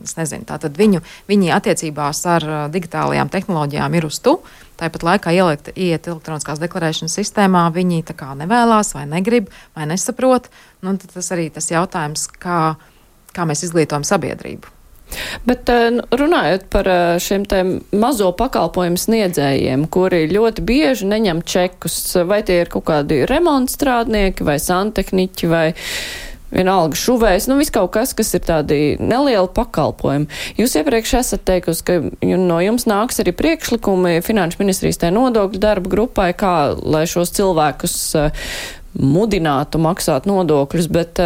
es nezinu, tātad viņi attiecībās ar digitālajām tehnoloģijām ir uz tu, tāpat laikā iet elektroniskās deklarēšanas sistēmā, viņi tā kā nevēlās vai negrib vai nesaprot, tad tas arī tas jautājums, kā mēs izglītojam sabiedrību. Bet runājot par šiem te mazo pakalpojumu sniedzējiem, kuri ļoti bieži neņem čekus, vai tie ir kaut kādi remontstrādnieki vai santehniķi vai vienalga šuvējs, viss kaut kas ir tādi nelieli pakalpojumi. Jūs iepriekš esat teikusi, ka no jums nāks arī priekšlikumi Finanšu ministrijas tai nodokļu darba grupai, kā lai šos cilvēkus mudinātu maksāt nodokļus, bet,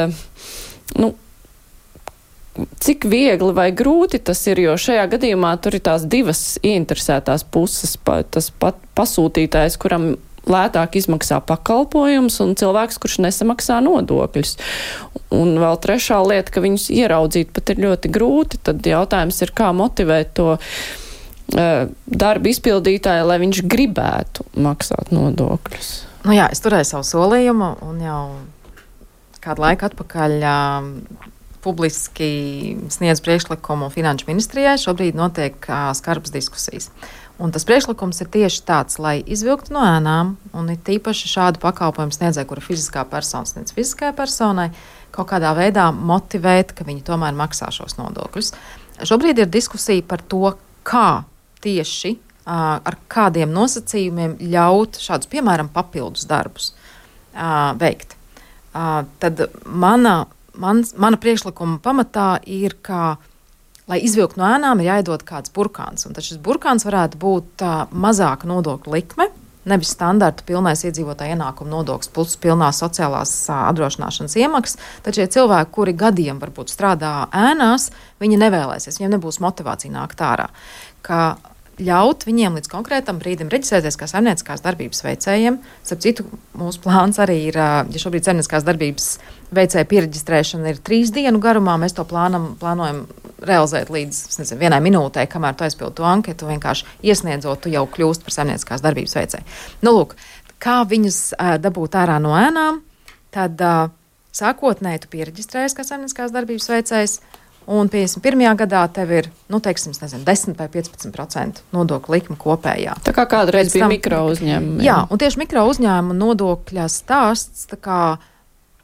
cik viegli vai grūti tas ir, jo šajā gadījumā tur ir tās divas ieinteresētās puses, tas pasūtītājs, kuram lētāk izmaksā pakalpojums un cilvēks, kurš nesamaksā nodokļus. Un vēl trešā lieta, ka viņus ieraudzīt pat ir ļoti grūti, tad jautājums ir, kā motivēt to darba izpildītāju, lai viņš gribētu maksāt nodokļus. Jā, es turēju savu solījumu un jau kādu laiku atpakaļ publiski sniedz priekšlikumu Finanšu ministrijai. Šobrīd notiek skarbas diskusijas. Un tas priekšlikums ir tieši tāds, lai izvilktu no ēnām, un ir tīpaši šādu pakalpojumu sniedzēju, kura fiziskā persona sniedz fiziskajai personai, kaut kādā veidā motivēt, ka viņi tomēr maksā šos nodokļus. Šobrīd ir diskusija par to, kā tieši ar kādiem nosacījumiem ļaut šādus, piemēram, papildus darbus veikt. Tad mana priekšlikuma pamatā ir, ka, lai izvilktu no ēnām, ir jāiedod kāds burkāns. Un tad šis burkāns varētu būt mazāka nodokļu likme, nevis standarta pilnais iedzīvotāja ienākuma nodoklis plus pilnās sociālās apdrošināšanas iemaksas. Tad šie cilvēki, kuri gadiem varbūt strādā ēnās, viņi nevēlēsies, viņiem nebūs motivācija nākt ārā. Ka ļaut viņiem līdz konkrētam brīdim reģistrēties kā saimnieciskās darbības veicējiem. Starp citu, mūsu plāns arī ir, ja šobrīd saimnieciskās darbības veicēja piereģistrēšana ir 3 dienu garumā, mēs to plānojam realizēt līdz 1 minūtē, kamēr tu aizpildi to anketu, vienkārši iesniedzot, tu jau kļūst par saimnieciskās darbības veicēju. Lūk, kā viņus dabūt ārā no ēnām, tad sākotnēji tu piereģistrējies kā saimnieciskās darbības veicējs, un 51. gadā tev ir, 10 vai 15% nodokļu likme kopējā. Tā kā kādreiz bija mikro uzņēmumi. Jā, un tieši mikro uzņēmuma nodokļa stāsts,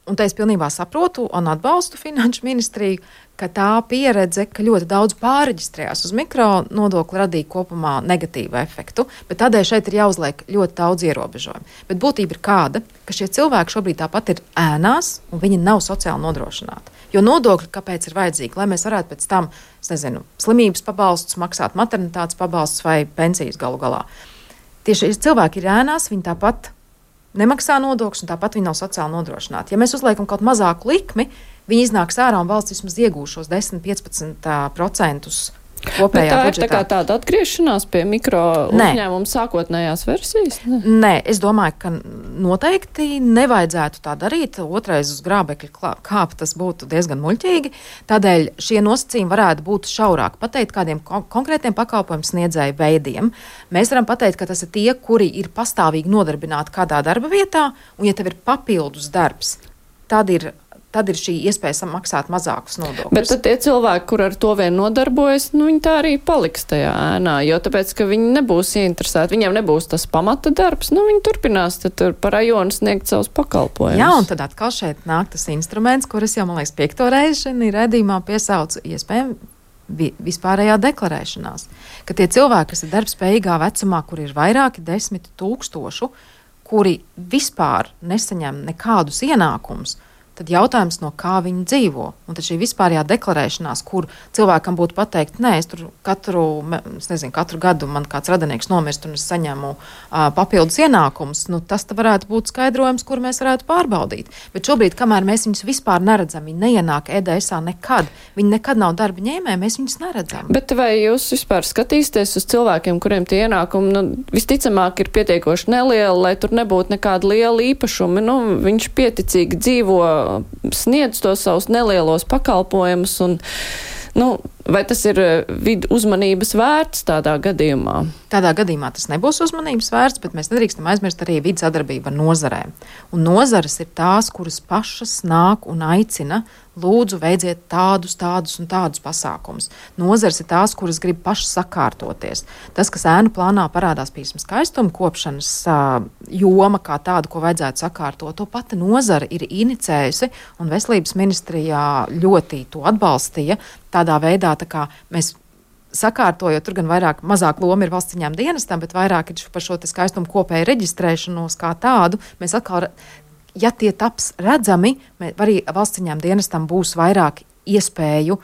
un te es pilnībā saprotu un atbalstu Finanšu ministriju, ka tā pieredze, ka ļoti daudz pārreģistrējās uz mikro nodokli, radīja kopumā negatīvu efektu, bet tādēļ šeit ir jāuzliek ļoti daudz ierobežojumu. Bet būtība ir kāda, ka šie cilvēki šobrīd tāpat ir ēnās un viņi nav sociāli nodrošināti. Jo nodokļi kāpēc ir vajadzīgi? Lai mēs varētu pēc tam, slimības pabalstus maksāt, maternitātes pabalstus vai pensijas galu galā. tieši cilvēki ir ēnās, viņi tāpat nemaksā nodokļus, un tāpat viņi nav sociāli nodrošināti. Ja mēs uzliekam kaut mazāku likmi, viņi iznāks ārā un valsts vismaz iegūšos 10-15% kopējā tā budžetā. Ir tā kā tāda atgriešanās pie mikro uzņēmuma sākotnējās versijas? Nē, es domāju, ka noteikti nevajadzētu tā darīt. Otrais uz grābekļa kāpt, tas būtu diezgan muļķīgi. Tādēļ šie nosacījumi varētu būt šaurāk. Pateikt kādiem konkrētiem pakalpojumu sniedzēju veidiem. Mēs varam pateikt, ka tas ir tie, kuri ir pastāvīgi nodarbināti kādā darba vietā, un ja tev ir papildus darbs, tad ir šī iespēja maksāt mazākus nodokļus. Bet tad tie cilvēki, kur ar to vien nodarbojas, viņi tā arī paliks tajā ēnā, jo tāpēc, ka viņi nebūs ieinteresēti, viņiem nebūs tas pamata darbs, viņi turpinās tur pa rajonu sniegt savus pakalpojumus. Jā, un tad atkal šeit nāk tas instruments, kuras jau, man liekas, 5. reizi šajā redzījumā piesaucu iespējami vispārējā deklarēšanās. Ka tie cilvēki, kas ir darbspējīgā vecumā, kur ir vairāki 10 000, kuri vispār nesaņem nekādus ienākumus, tad jautājums, no kā viņi dzīvo. Un tad šī vispārējā deklarēšanās, kur cilvēkam būtu pateikt, nē, es tur katru gadu man kāds radinieks nomirst un es saņemu papildus ienākumus, tas varētu būt skaidrojums, kur mēs varētu pārbaudīt. Bet šobrīd, kamēr mēs viņus vispār neredzam, viņi neienāk EDSā nekad, viņi nekad nav darba ņēmēji, mēs viņus neredzam. Bet vai jūs vispār skatīsieties uz cilvēkiem, kuriem tie ienākumi visticamāk ir pietiekoši nelieli, lai tur nebūtu nekāda liela īpašumi? Viņš pieticīgi dzīvo, sniedz tos savus nelielos pakalpojumus, un vai tas ir vidu uzmanības vērts tādā gadījumā? Tādā gadījumā tas nebūs uzmanības vērts, bet mēs nedrīkstam aizmirst arī vidu sadarbību ar nozarēm. Un nozares ir tās, kuras pašas nāk un aicina, lūdzu, veidziet tādus un tādus pasākumus. Nozares ir tās, kuras grib pašas sakārtoties. Tas, kas ēnu plānā parādās, piemēram, skaistuma kopšanas joma kā tāda, ko vajadzētu sakārtot, to pati nozara ir inicējusi, un Veselības ministrijā ļoti to atbalstīja tādā veidā, tā kā mēs sakārtojot, tur gan mazāk loma ir valsts ieņēmuma dienestam, bet vairāk ir par šo skaistumu kopēju reģistrēšanos kā tādu. Mēs atkal, ja tie taps redzami, arī valsts ieņēmuma dienestam būs vairāk iespēju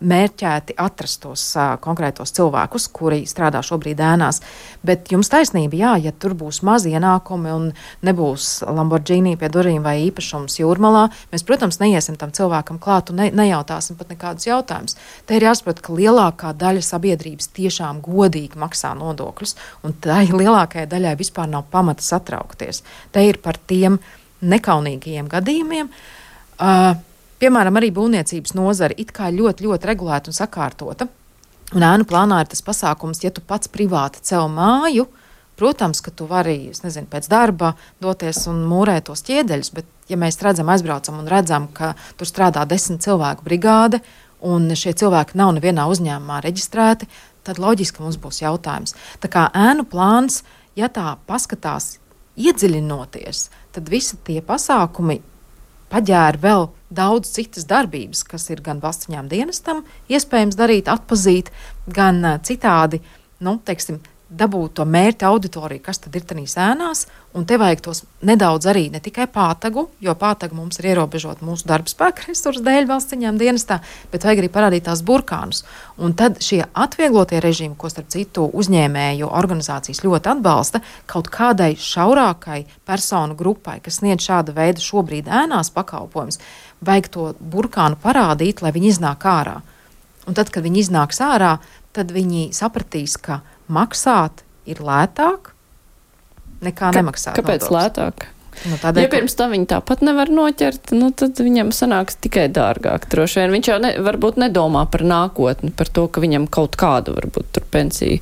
mērķēti atrast tos konkrētos cilvēkus, kuri strādā šobrīd ēnās. Bet jums taisnība, jā, ja tur būs mazi ienākumi un nebūs Lamborghini pie durvīm vai īpašums Jūrmalā, mēs, protams, neiesim tam cilvēkam klāt un nejautāsim pat nekādus jautājumus. Te ir jāsaprot, ka lielākā daļa sabiedrības tiešām godīgi maksā nodokļus, un tai lielākajai daļai vispār nav pamata satraukties. Te ir par tiem nekaunīgajiem gadījumiem. Piemēram, arī būvniecības nozara it kā ļoti, ļoti regulēta un sakārtota. Un ēnu plānā ir tas pasākums, ja tu pats privāti cel māju, protams, ka tu vari, pēc darba doties un mūrēt tos ķiedeļus, bet ja mēs aizbraucam un redzam, ka tur strādā 10 cilvēku brigāde un šie cilvēki nav nevienā uzņēmumā reģistrēti, tad loģiski mums būs jautājums. Tā kā ēnu plāns, ja tā paskatās iedziļinoties, tad visi tie pasākumi paģēra vēl daudz citas darbības, kas ir gan valsts ieņēmuma dienestam iespējams darīt, atpazīt, gan citādi, dabūt to mērķa auditoriju, kas tad ir tanīs ēnās, un te vajag tos nedaudz arī ne tikai pātagu, jo pātagu mums ir ierobežot mūsu darba spēka resursu dēļ valsts ieņēmuma dienestā, bet vajag arī parādīt tās burkānus. Un tad šie atvieglotie režīmi, ko starp citu uzņēmēju organizācijas ļoti atbalsta, kaut kādai šaurākai personu grupai, kas sniedz šāda veida šobrīd ēnās pakalpojumus, vajag to burkānu parādīt, lai viņi iznāk ārā. Un tad, kad viņi iznāks ārā, tad viņi sapratīs, ka maksāt ir lētāk nekā nemaksāt. Kāpēc nodokļus lētāk? Tādēļ, ja pirms tam viņi tāpat nevar noķert, tad viņam sanāks tikai dārgāk. Droši vien viņš jau varbūt nedomā par nākotni, par to, ka viņam kaut kāda varbūt tur pensija.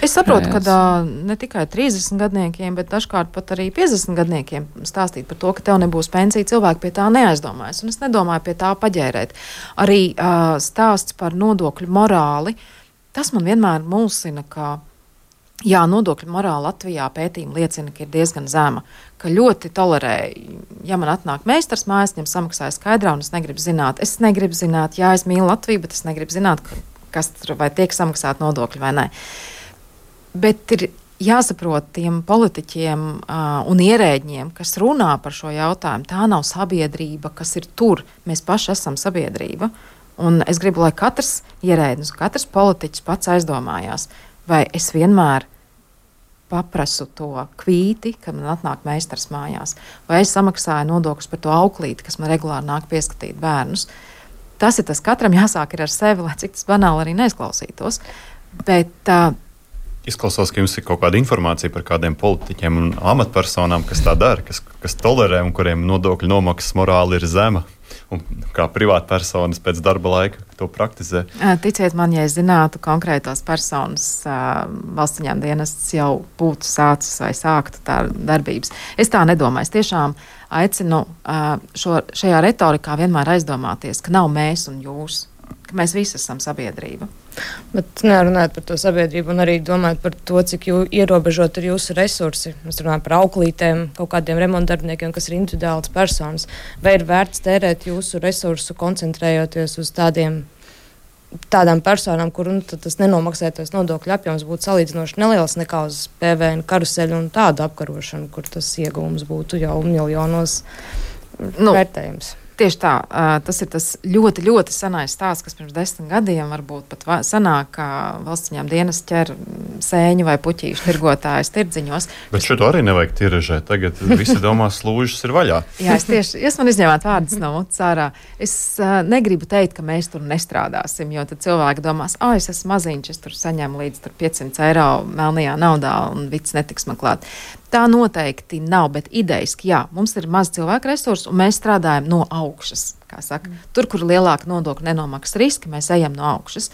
Es saprotu, ka ne tikai 30 gadniekiem, bet dažkārt pat arī 50 gadniekiem stāstīt par to, ka tev nebūs pensija, cilvēki pie tā neaizdomājas. Un es nedomāju pie tā paģērēt. Arī stāsts par nodokļu morāli. Tas man vienmēr mulsina, ka nodokļu morāla Latvijā pētījumi liecina, ka ir diezgan zema, ka ļoti tolerē, ja man atnāk meistars mājās, viņam samaksāja skaidrā un es negribu zināt, jā, es mīlu Latviju, bet es negribu zināt, kas tur vai tiek samaksāt nodokļi vai nē. Bet ir jāsaprot tiem politiķiem un ierēģiem, kas runā par šo jautājumu, tā nav sabiedrība, kas ir tur, mēs paši esam sabiedrība. Un es gribu, lai katrs ierēdnis, katrs politiķis pats aizdomājās, vai es vienmēr paprasu to kvīti, kad man atnāk meistars mājās, vai es samaksāju nodokļus par to auklīti, kas man regulāri nāk pieskatīt bērnus. Tas ir tas, katram jāsāk ir ar sevi, lai cik tas banāli arī neizklausītos. Bet izklausās, ka jums ir kaut kāda informācija par kādiem politiķiem un amatpersonām, kas tā dara, kas tolerē un kuriem nodokļu nomaksas morāli ir zema. Un kā privātpersonas pēc darba laika to praktizē? Ticiet man, ja es zinātu konkrētos personas, valsts ieņēmuma dienests jau būtu sācis vai sāktu tā darbības. Es tā nedomāju. Es tiešām aicinu šajā retorikā vienmēr aizdomāties, ka nav mēs un jūs, ka mēs visi esam sabiedrība. Bet nerunājot par to sabiedrību un arī domājot par to, cik ierobežot ir jūsu resursi. Mēs runājam par auklītēm, kaut kādiem remontdarbiniekiem, kas ir individuāls personas. Vai ir vērts tērēt jūsu resursu, koncentrējoties uz tādām personām, kur tas nenomaksētais nodokļu apjoms būtu salīdzinoši neliels nekā uz PVN karuseļu un tādu apkarošanu, kur tas ieguvums būtu jau miljonos vērtējums? Tieši tā, tas ir tas ļoti, ļoti senais stāsts, kas pirms 10 gadiem varbūt pat sanāk, ka valsts ieņēmuma dienests ķer sēņu vai puķīšu tirgotājus tirdziņos. Bet šo arī nevajag tiražēt. Tagad visi domā, slūžas ir vaļā. Jā, jūs man izņēmāt vārdus no mutes ārā. Es negribu teikt, ka mēs tur nestrādāsim, jo tad cilvēki domās, es esmu maziņš, es tur saņemu līdz 500 eiro melnajā naudā un viss netiks man klāt. Tā noteikti nav, bet idejiski, jā, mums ir maz cilvēku resursu un mēs strādājam no augšas, kā saka. Tur, kur lielāka nodokļu nenomaksas riski, mēs ejam no augšas.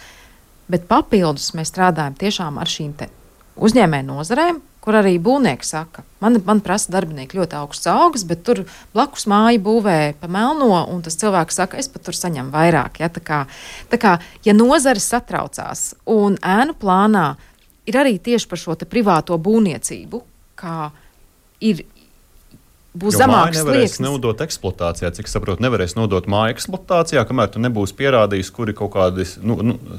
Bet papildus mēs strādājam tiešām ar šīm te uzņēmēju nozarēm, kur arī būvnieki saka, man prasa darbinieki ļoti augsts algas, bet tur blakus māju būvē pa melno, un tas cilvēks saka, es pat tur saņemu vairāk. Ja? Tā kā, ja nozares satraucās un ēnu plānā ir arī tieši par šo te privāto būvniecību, kā būs zemāks slieksnis. Nevarēs nodot eksploatācijā, cik saprotu, nevarēs nodot māju eksploatācijā, kamēr tu nebūsi pierādījis, kuri kaut kādi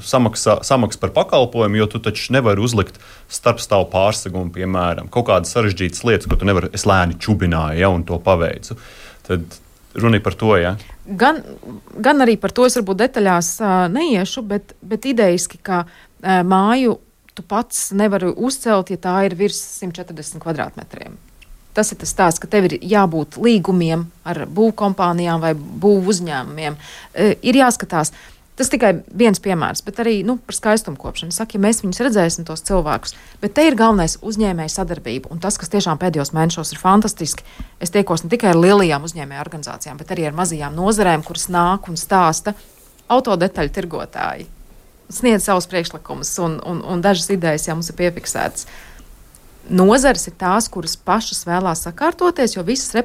samaks par pakalpojumu, jo tu taču nevari uzlikt starpstāvu pārsegumu, piemēram, kaut kādas sarežģītas lietas, ko tu nevari, es lēni čubināju, ja, un to paveicu. Tad runa par to, ja? Gan arī par to es varbūt detaļās neiešu, bet idejiski, ka māju tu pats nevari uzcelt, ja tā ir virs 140 kvadrātmetriem. Tas ir tas stāsts, ka tev ir jābūt līgumiem ar būvkompānijām vai būvu uzņēmumiem. Ir jāskatās. Tas tikai viens piemērs, bet arī par skaistumkopšanu. Saka, ja mēs viņus redzēsim, tos cilvēkus, bet te ir galvenais uzņēmēju sadarbība. Un tas, kas tiešām pēdējos mēnešos ir fantastiski, es tiekos ne tikai ar lielajām uzņēmēju organizācijām, bet arī ar mazajām nozarēm, kuras nāk un stāsta autodetaļu tirgotāji. Sniedz savus priekšlikumus un dažas idejas jau mums ir piefiksētas. Nozares ir tās, kuras pašas vēlās sakārtoties, jo visas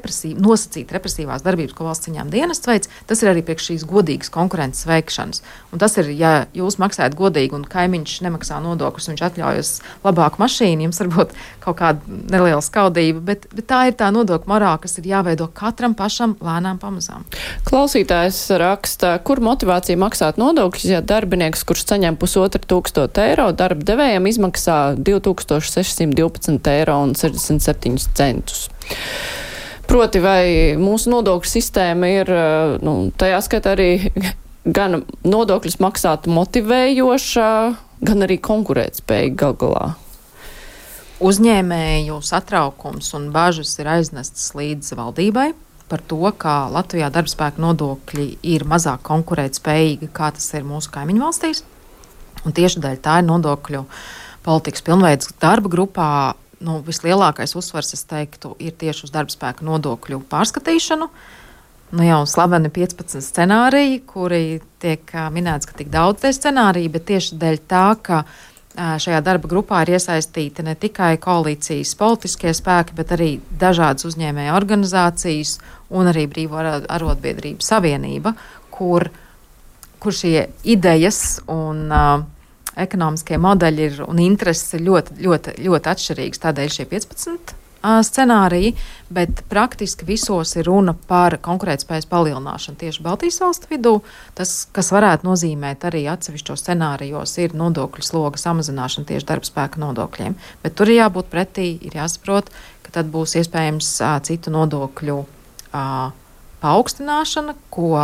nosacīt represīvās darbības, ko valsts ieņēmuma dienests veic, tas ir arī priekš šīs godīgas konkurences veikšanas. Un tas ir, ja jūs maksājat godīgi un kaimiņš nemaksā nodokļus, viņš atļaujas labāku mašīnu, jums varbūt kaut kāda neliela skaudība, bet tā ir tā nodokļu morāla, kas ir jāveido katram pašam lēnām pamazām. Klausītājs raksta, kur motivācija maksāt nodokļus, ja darbinieks, kurš saņem 1500 eiro, darba devējiem izmaksā 2612 eiro un 67 centus. Proti, vai mūsu nodokļu sistēma ir, tajā skaitā arī gan nodokļus maksāt motivējoša, gan arī konkurētspējīga gal galā? Uzņēmēju satraukums un bažas ir aiznestas līdz valdībai par to, ka Latvijā darbspēka nodokļi ir mazāk konkurētspējīgi, kā tas ir mūsu kaimiņu valstīs. Un tieši dēļ tā ir nodokļu politikas pilnveidas darba grupā vislielākais uzsvars, es teiktu, ir tieši uz darbspēka nodokļu pārskatīšanu. Jau slaveni 15 scenāriji, kuri tiek minēts, ka tik daudz tie scenāriji, bet tieši dēļ tā, ka šajā darba grupā ir iesaistīti ne tikai koalīcijas politiskie spēki, bet arī dažādas uzņēmēju organizācijas un arī Brīvo arotbiedrību savienība, kur šie idejas un ekonomiskie modeļi un intereses ir ļoti, ļoti, ļoti atšķirīgas. Tādēļ šie 15 scenāriji, bet praktiski visos ir runa par konkurētspējas palielināšanu tieši Baltijas valstu vidū. Tas, kas varētu nozīmēt arī atsevišķos scenārijos, ir nodokļu sloga samazināšana tieši darbspēka nodokļiem. Bet tur ir jābūt pretī, ir jāsaprot, ka tad būs iespējams citu nodokļu paaugstināšana, ko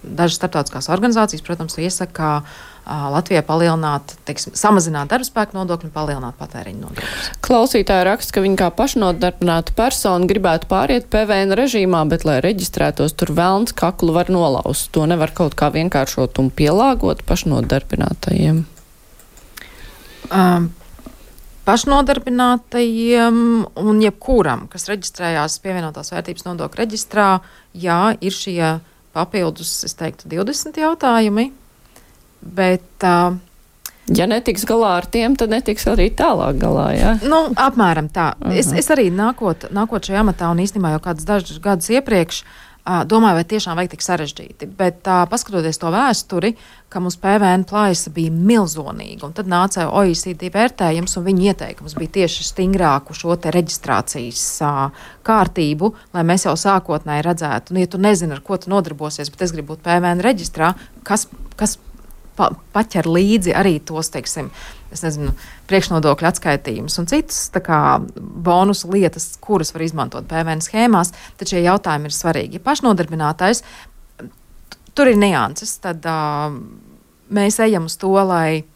dažas starptautiskās organizācijas, protams, iesaka Latvijai palielināt, samazināt darbspēku nodokļu un palielināt patēriņu nodokļus. Klausītāji raksta, ka viņi kā pašnodarbināta persona gribētu pāriet PVN režīmā, bet, lai reģistrētos, tur velns kaklu var nolaust. To nevar kaut kā vienkāršot un pielāgot pašnodarbinātajiem. Pašnodarbinātajiem un jebkuram, kas reģistrējās pievienotās vērtības nodokļu reģistrā, jā, ir šie papildus, es teiktu, 20 jautājumi. Bet, ja netiks galā ar tiem, tad netiks arī tālāk galā, jā? Apmēram tā. Es arī nākot šajā amatā un īstenībā jau kādus dažus gadus iepriekš domāju, vai tiešām vajag tik sarežģīti. Bet paskatoties to vēsturi, ka mums PVN plājasa bija milzonīga, un tad nāca OECD vērtējums, un viņi ieteikums bija tieši stingrāku šo te reģistrācijas kārtību, lai mēs jau sākotnēji redzētu, ja tu nezini, ar ko tu nodarbosies, bet es gribu būt PVN reģistrā, kas paķer līdzi arī tos, teiksim, priekšnodokļu atskaitījumus un citas bonusu lietas, kuras var izmantot PVN schēmās, tad šie jautājumi ir svarīgi. Ja pašnodarbinātais, tur ir nianses, tad mēs ejam uz to, lai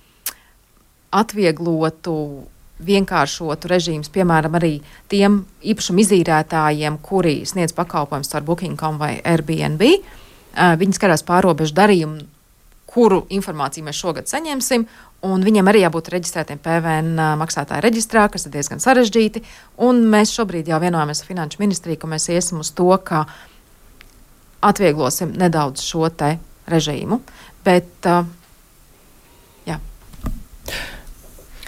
atvieglotu, vienkāršotu režīmus, piemēram, arī tiem īpašumu izīrētājiem, kuri sniedz pakalpojumus caur Booking.com vai Airbnb. Viņi skatās pārobežu darījumu, kuru informāciju mēs šogad saņemsim, un viņiem arī jābūt reģistrētiem PVN maksātāju reģistrā, kas ir diezgan sarežģīti, un mēs šobrīd jau vienojamies ar Finanšu ministriju, ka mēs iesim uz to, ka atvieglosim nedaudz šo te režīmu, bet jā.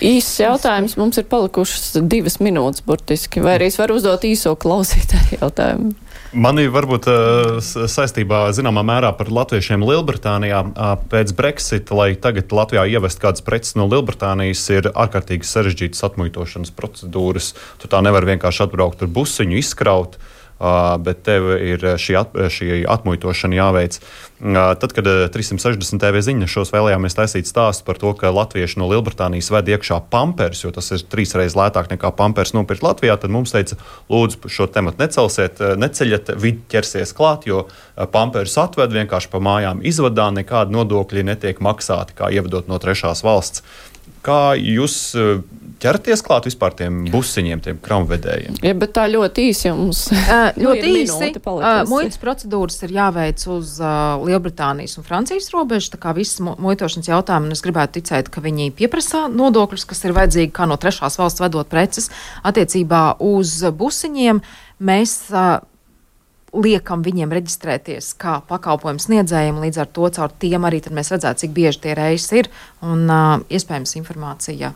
Īsts jautājums, mums ir palikušas 2 minūtes burtiski, vai arī es varu uzdot īso klausītāju jautājumu? Mani varbūt saistībā zināmā mērā par latviešiem Lielbritānijā pēc Brexita, lai tagad Latvijā ievest kādas preces no Lielbritānijas, ir ārkārtīgi sarežģītas atmuitošanas procedūras. Tu tā nevar vienkārši atbraukt ar busiņu, izkraut, bet tev ir šī atmuitošana jāveic. Tad, kad 360 TV ziņnešos vēlējāmies taisīt stāstu par to, ka latvieši no Lielbritānijas ved iekšā pampers, jo tas ir 3 reizes lētāk nekā pampers nopirkt Latvijā, tad mums teica, lūdzu, šo tematu neceļat, vidi ķersies klāt, jo pampers atved vienkārši pa mājām izvadā, nekādi nodokļi netiek maksāti, kā ievedot no trešās valsts. Kā jūs ķerties klāt vispār tiem busiņiem, tiem kramvedējiem? Ja, bet tā ļoti īsi jums. Ļoti īsi. Muitas procedūras ir jāveic uz Lielbritānijas un Francijas robežas, tā kā visas muitošanas jautājumi, un es gribētu ticēt, ka viņi pieprasa nodokļus, kas ir vajadzīgi kā no trešās valsts vedot preces. Attiecībā uz busiņiem mēs liekam viņiem reģistrēties kā pakalpojumu sniedzējiem, līdz ar to caur tiem arī tad mēs redzētu, cik bieži tie reizes ir, un iespējams informācija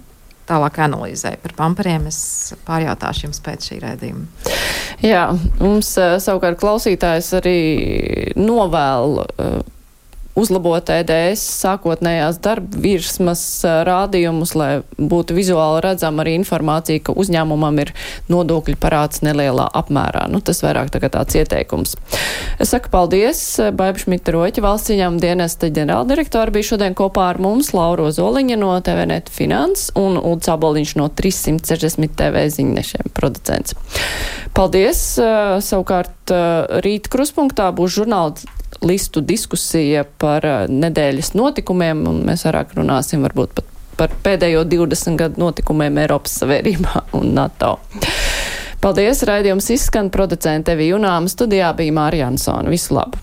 tālāk analīzē. Par pamperiem es pārjautāšu jums pēc šī raidījuma. Jā, mums savukārt klausītājs arī novēl uzlabot EDS sākotnējās darba virsmas rādījumus, lai būtu vizuāli redzama arī informācija, ka uzņēmumam ir nodokļu parāds nelielā apmērā. Tas vairāk tagad tāds ieteikums. Es saku paldies. Baiba Šmita-Roķa, valsts ieņēmuma dienesta ģenerāldirektora, bija šodien kopā ar mums, Laura Ozoliņa no TVNet Finans un Ulds Aboliņš no 360 TV ziņnešiem producents. Paldies. Savukārt rīt Kruspunktā būs žurnālistu diskusija par nedēļas notikumiem, un mēs vairāk runāsim varbūt pat par pēdējo 20 gadu notikumiem Eiropas Savienībā un NATO. Paldies, raidījums izskan, producente Evija Junāma, studijā bija Mārija Ansone. Visu labu!